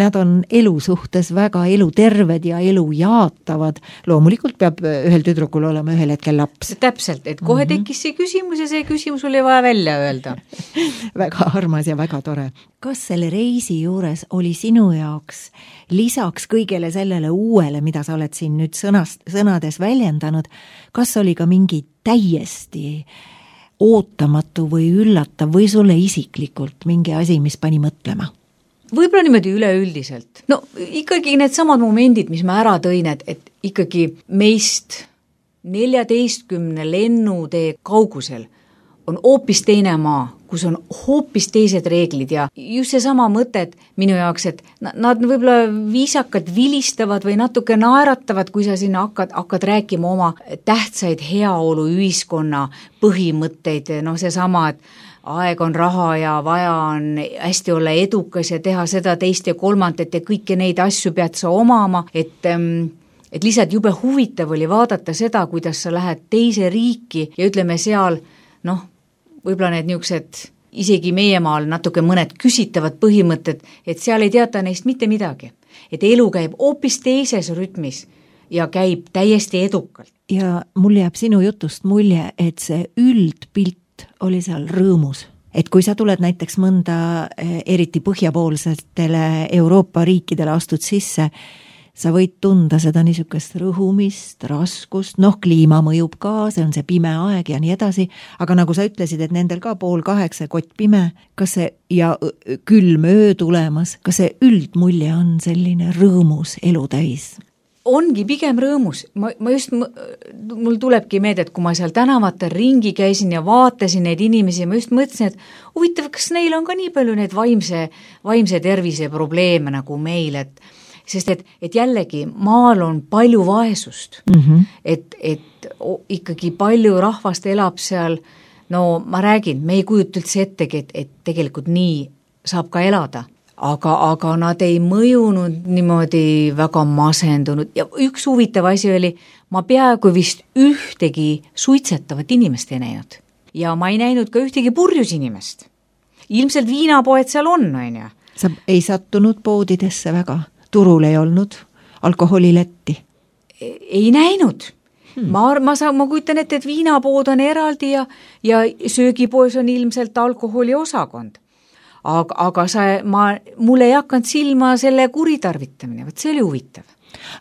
nad on elu suhtes väga eluterved ja elu jaatavad. Loomulikult peab ühel tüdrukul olema ühel hetkel laps. Täpselt, et kohe tekkis see küsimus ja see küsimus oli vaja välja öelda. Väga armas ja väga tore. Kas selle reisi juures oli sinu jaoks lisaks kõigele sellele uuele, mida sa oled siin nüüd sõnast, sõnades väljendanud, kas oli ka mingi täiesti ootamatu või üllatav või sulle isiklikult mingi asi, mis pani mõtlema? Võib-olla niimoodi üleüldiselt. No ikkagi need samad momendid, mis ma ära tõin, et, et ikkagi meist neljateistkümne lennutee kaugusel on hoopis teine maa, kus on hoopis teised reeglid ja just see sama mõtet minu jaoks, et nad võib-olla viisakad vilistavad või natuke naeratavad, kui sa sinna hakkad, hakkad rääkima oma tähtsaid heaolu ühiskonna põhimõtteid, noh see sama, et aeg on raha ja vaja on hästi olla edukas ja teha seda teist ja kolmandat ja kõiki neid asju pead sa omama, et et lihtsalt jube huvitav oli vaadata seda, kuidas sa lähed teise riiki ja ütleme seal, noh, võib-olla need niisugused, isegi meie maal natuke mõned küsitavad põhimõtted, et seal ei teata neist mitte midagi. Et elu käib hoopis teises rütmis ja käib täiesti edukalt. Ja mul jääb sinu jutust mulje, et see üldpilt oli seal rõõmus. Et kui sa tuled näiteks mõnda eriti põhjapoolsetele Euroopa riikidele astud sisse, sa võid tunda seda niisugust rõhumist, raskust, noh, kliima mõjub ka, see on see pime aeg ja nii edasi, aga nagu sa ütlesid, et nendel ka pool kaheksa kott pime, kas see ja külm öö tulemas, kas see üldmulje on selline rõõmus elu täis? Ongi pigem rõõmus. Ma, ma just, mul tulebki meelde, et kui ma seal tänavatel ringi käisin ja vaatasin neid inimesi, ma just mõtlesin, et huvitav, kas neil on ka nii palju neid vaimse, vaimse tervise probleeme nagu meil, et sest et, et jällegi maal on palju vaesust, mm -hmm. et, et ikkagi palju rahvast elab seal, no ma räägin, me ei kujuta üldse ettegi, et, et tegelikult nii saab ka elada, aga, aga nad ei mõjunud niimoodi väga masendunud ja üks huvitav asi oli, ma peaaegu vist ühtegi suitsetavat inimest ei näinud ja ma ei näinud ka ühtegi purjus inimest. Ilmselt viinapoed seal on, on ju. Sa ei sattunud poodidesse väga? Turul ei olnud alkoholiletti? Ei näinud. Hmm. Ma, ma, saan, ma kujutan ette, et viinapood on eraldi ja, ja söögipoes on ilmselt alkoholi osakond. Aga, aga sa, ma, mul ei hakanud silma selle kuritarvitamine, võt see oli huvitav.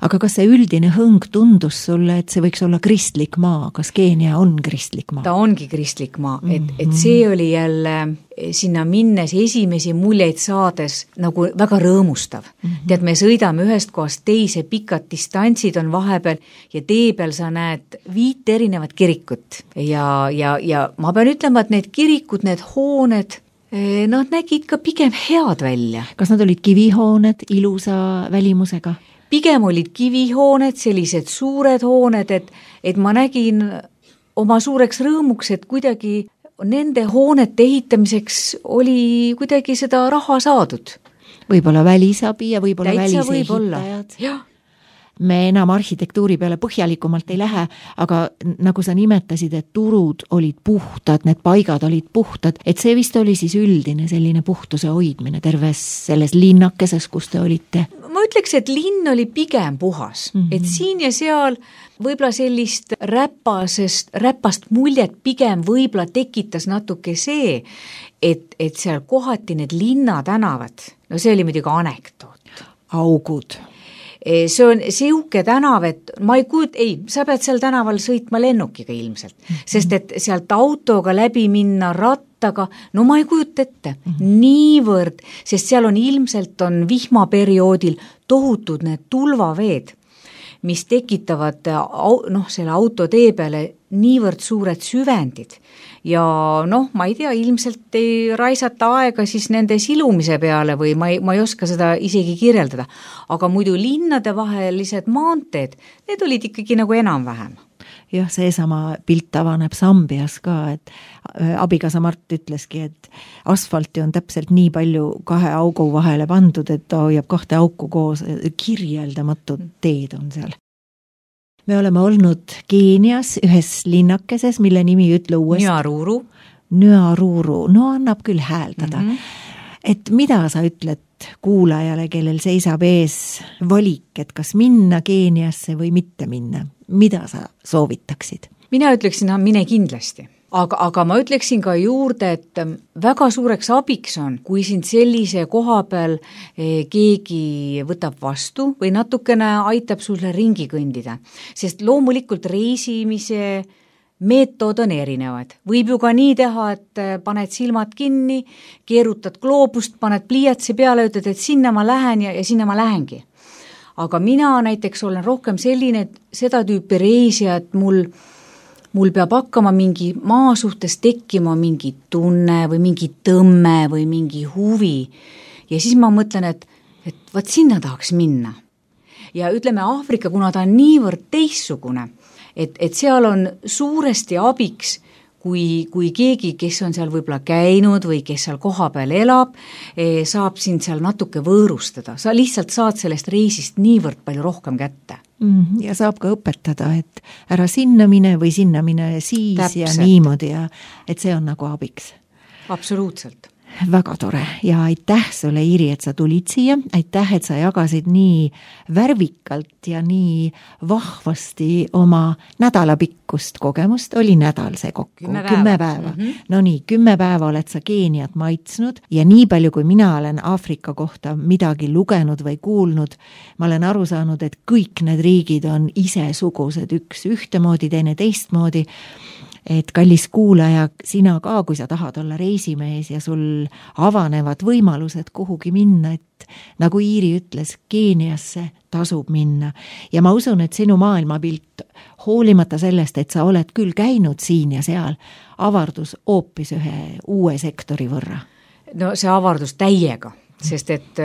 Aga kas see üldine hõng tundus sulle, et see võiks olla kristlik maa? Kas Keenia on kristlik maa? Ta ongi kristlik maa, et, et see oli jälle sinna minnes esimesi muljeid saades nagu väga rõõmustav. Mm-hmm. Tead, me sõidame ühest kohast teise, pikad distantsid on vahepeal ja tee peal sa näed viit erinevat kirikut. Ja, ja, ja ma pean ütlema, et need kirikud, need hooned, nad nägid ka pigem head välja. Kas nad olid kivihooned ilusa välimusega? Pigem olid kivihooned, sellised suured hooned, et, et ma nägin oma suureks rõõmuks, et kuidagi nende hoonete ehitamiseks oli kuidagi seda raha saadud. Võib-olla välisabi ja võib-olla välisehitajad. Jah, me enam arhitektuuri peale põhjalikumalt ei lähe, aga nagu sa nimetasid, et turud olid puhtad, need paigad olid puhtad, et see vist oli siis üldine selline puhtuse hoidmine terves selles linnakeses, kus te olite? Ma ütleks, et linn oli pigem puhas, mm -hmm. et siin ja seal võib-olla sellist räpasest, räpast muljet pigem võib-olla tekitas natuke see, et, et seal kohati need linnatänavad, no see oli muidugi anekdoot. Augud. See on siuke tänav, et ma ei kujut, ei, sa pead seal tänaval sõitma lennukiga ilmselt, mm -hmm. sest et sealt autoga läbi minna rattaga, no ma ei kujuta ette, mm -hmm. niivõrd, sest seal on ilmselt on vihmaperioodil tohutud need tulvaveed, mis tekitavad noh, selle autotee peale niivõrd suured süvendid ja noh, ma ei tea, ilmselt ei raisata aega siis nende silumise peale või ma ei, ma ei oska seda isegi kirjeldada, aga muidu linnade vahelised maanteed, need olid ikkagi nagu enam-vähem. Jah, seesama pilt avaneb Sambias ka, et abikaasa Mart ütleski, et asfalti on täpselt nii palju kahe augu vahele pandud, et ta hoiab kahte auku koos, kirjeldamatud teed on seal. Me oleme olnud Keenias ühes linnakeses, mille nimi ütle uuesti. Nyaruru. Nyaruru, no annab küll hääldada. Mm -hmm. Et mida sa ütled kuulajale, kellel seisab ees valik, et kas minna Keeniasse või mitte minna? Mida sa soovitaksid? Mina ütleksin, mine kindlasti. Aga, aga ma ütleksin ka juurde, et väga suureks abiks on, kui sind sellise koha peal keegi võtab vastu või natukene aitab sulle ringi kõndida. Sest loomulikult reisimise meetod on erinevad. Võib ju ka nii teha, et paned silmad kinni, keerutad gloobust, paned pliiatsi peale, ütled, et sinna ma lähen ja, ja sinna ma lähengi. Aga mina näiteks olen rohkem selline, et seda tüüpi reisija, et mul mul peab hakkama mingi maa suhtes tekkima mingi tunne või mingi tõmme või mingi huvi. Ja siis ma mõtlen, et, et vaat sinna tahaks minna. Ja ütleme Aafrika, kuna ta on niivõrd teissugune, et, et seal on suuresti abiks, kui, kui keegi, kes on seal võib-olla käinud või kes seal koha peal elab, saab sind seal natuke võõrustada. Sa lihtsalt saad sellest reisist niivõrd palju rohkem kätte. Ja saab ka õpetada, et ära sinna mine või sinna mine siis Täpselt. Ja niimoodi ja et see on nagu abiks. Absoluutselt. Väga tore ja aitäh sulle, Iiri, et sa tulid siia, aitäh, et sa jagasid nii värvikalt ja nii vahvasti oma nädalapikkust kogemust, oli nädal see kokku, kümme päeva, kümme päeva. Mm -hmm. No nii, kümme päeva oled sa Keeniat maitsnud ja nii palju, kui mina olen Aafrika kohta midagi lugenud või kuulnud, ma olen aru saanud, et kõik need riigid on isesugused, üks ühtemoodi, teine teistmoodi. Et kallis kuulaja, sina ka, kui sa tahad olla reisimees ja sul avanevad võimalused kuhugi minna, et nagu Iiri ütles, Keeniasse tasub minna. Ja ma usun, et sinu maailmapilt, hoolimata sellest, et sa oled küll käinud siin ja seal, avardus hoopis ühe uue sektori võrra. No see avardus täiega, sest et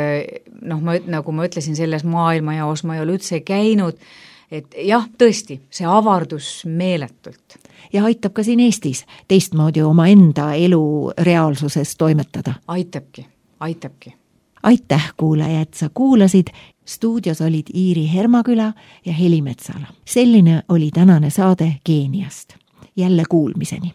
noh, ma, nagu ma ütlesin, selles maailmajaos ma ei ole üldse käinud, et jah, tõesti, see avardus meeletult. Ja aitab ka siin Eestis teistmoodi oma enda elu reaalsuses toimetada. Aitabki, aitabki. Aitäh, kuulaja, et sa kuulasid. Stuudios olid Iiri Hermaküla ja Heli Metsala. Selline oli tänane saade Keeniast. Jälle kuulmiseni.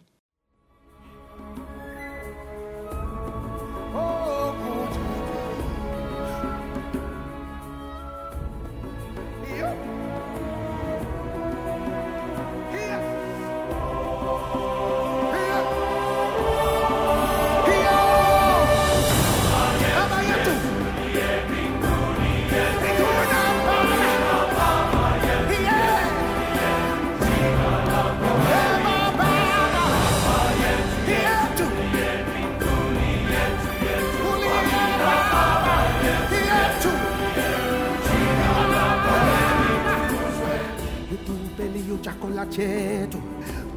chetu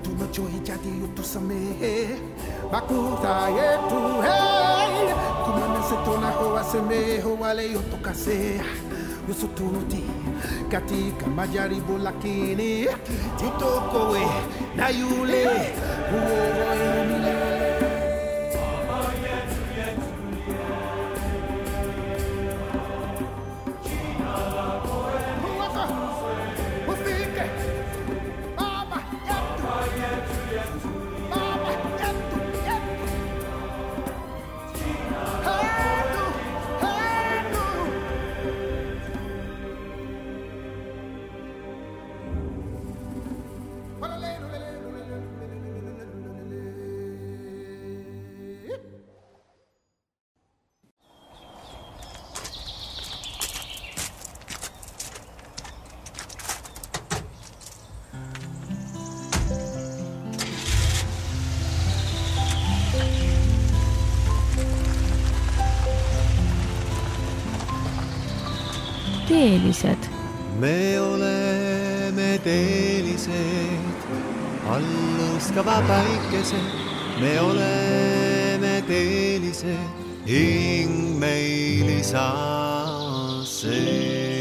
tunachohitaji utusamehe makosa yetu, hey, tumanase tunakowasemehe wale yotokasea yusututi katika majaribu, lakini tutokowe na yule uoe milele. Jina lako teelised? me oleme teelised, allustava päikesed, me oleme teelised, hing meil isa see.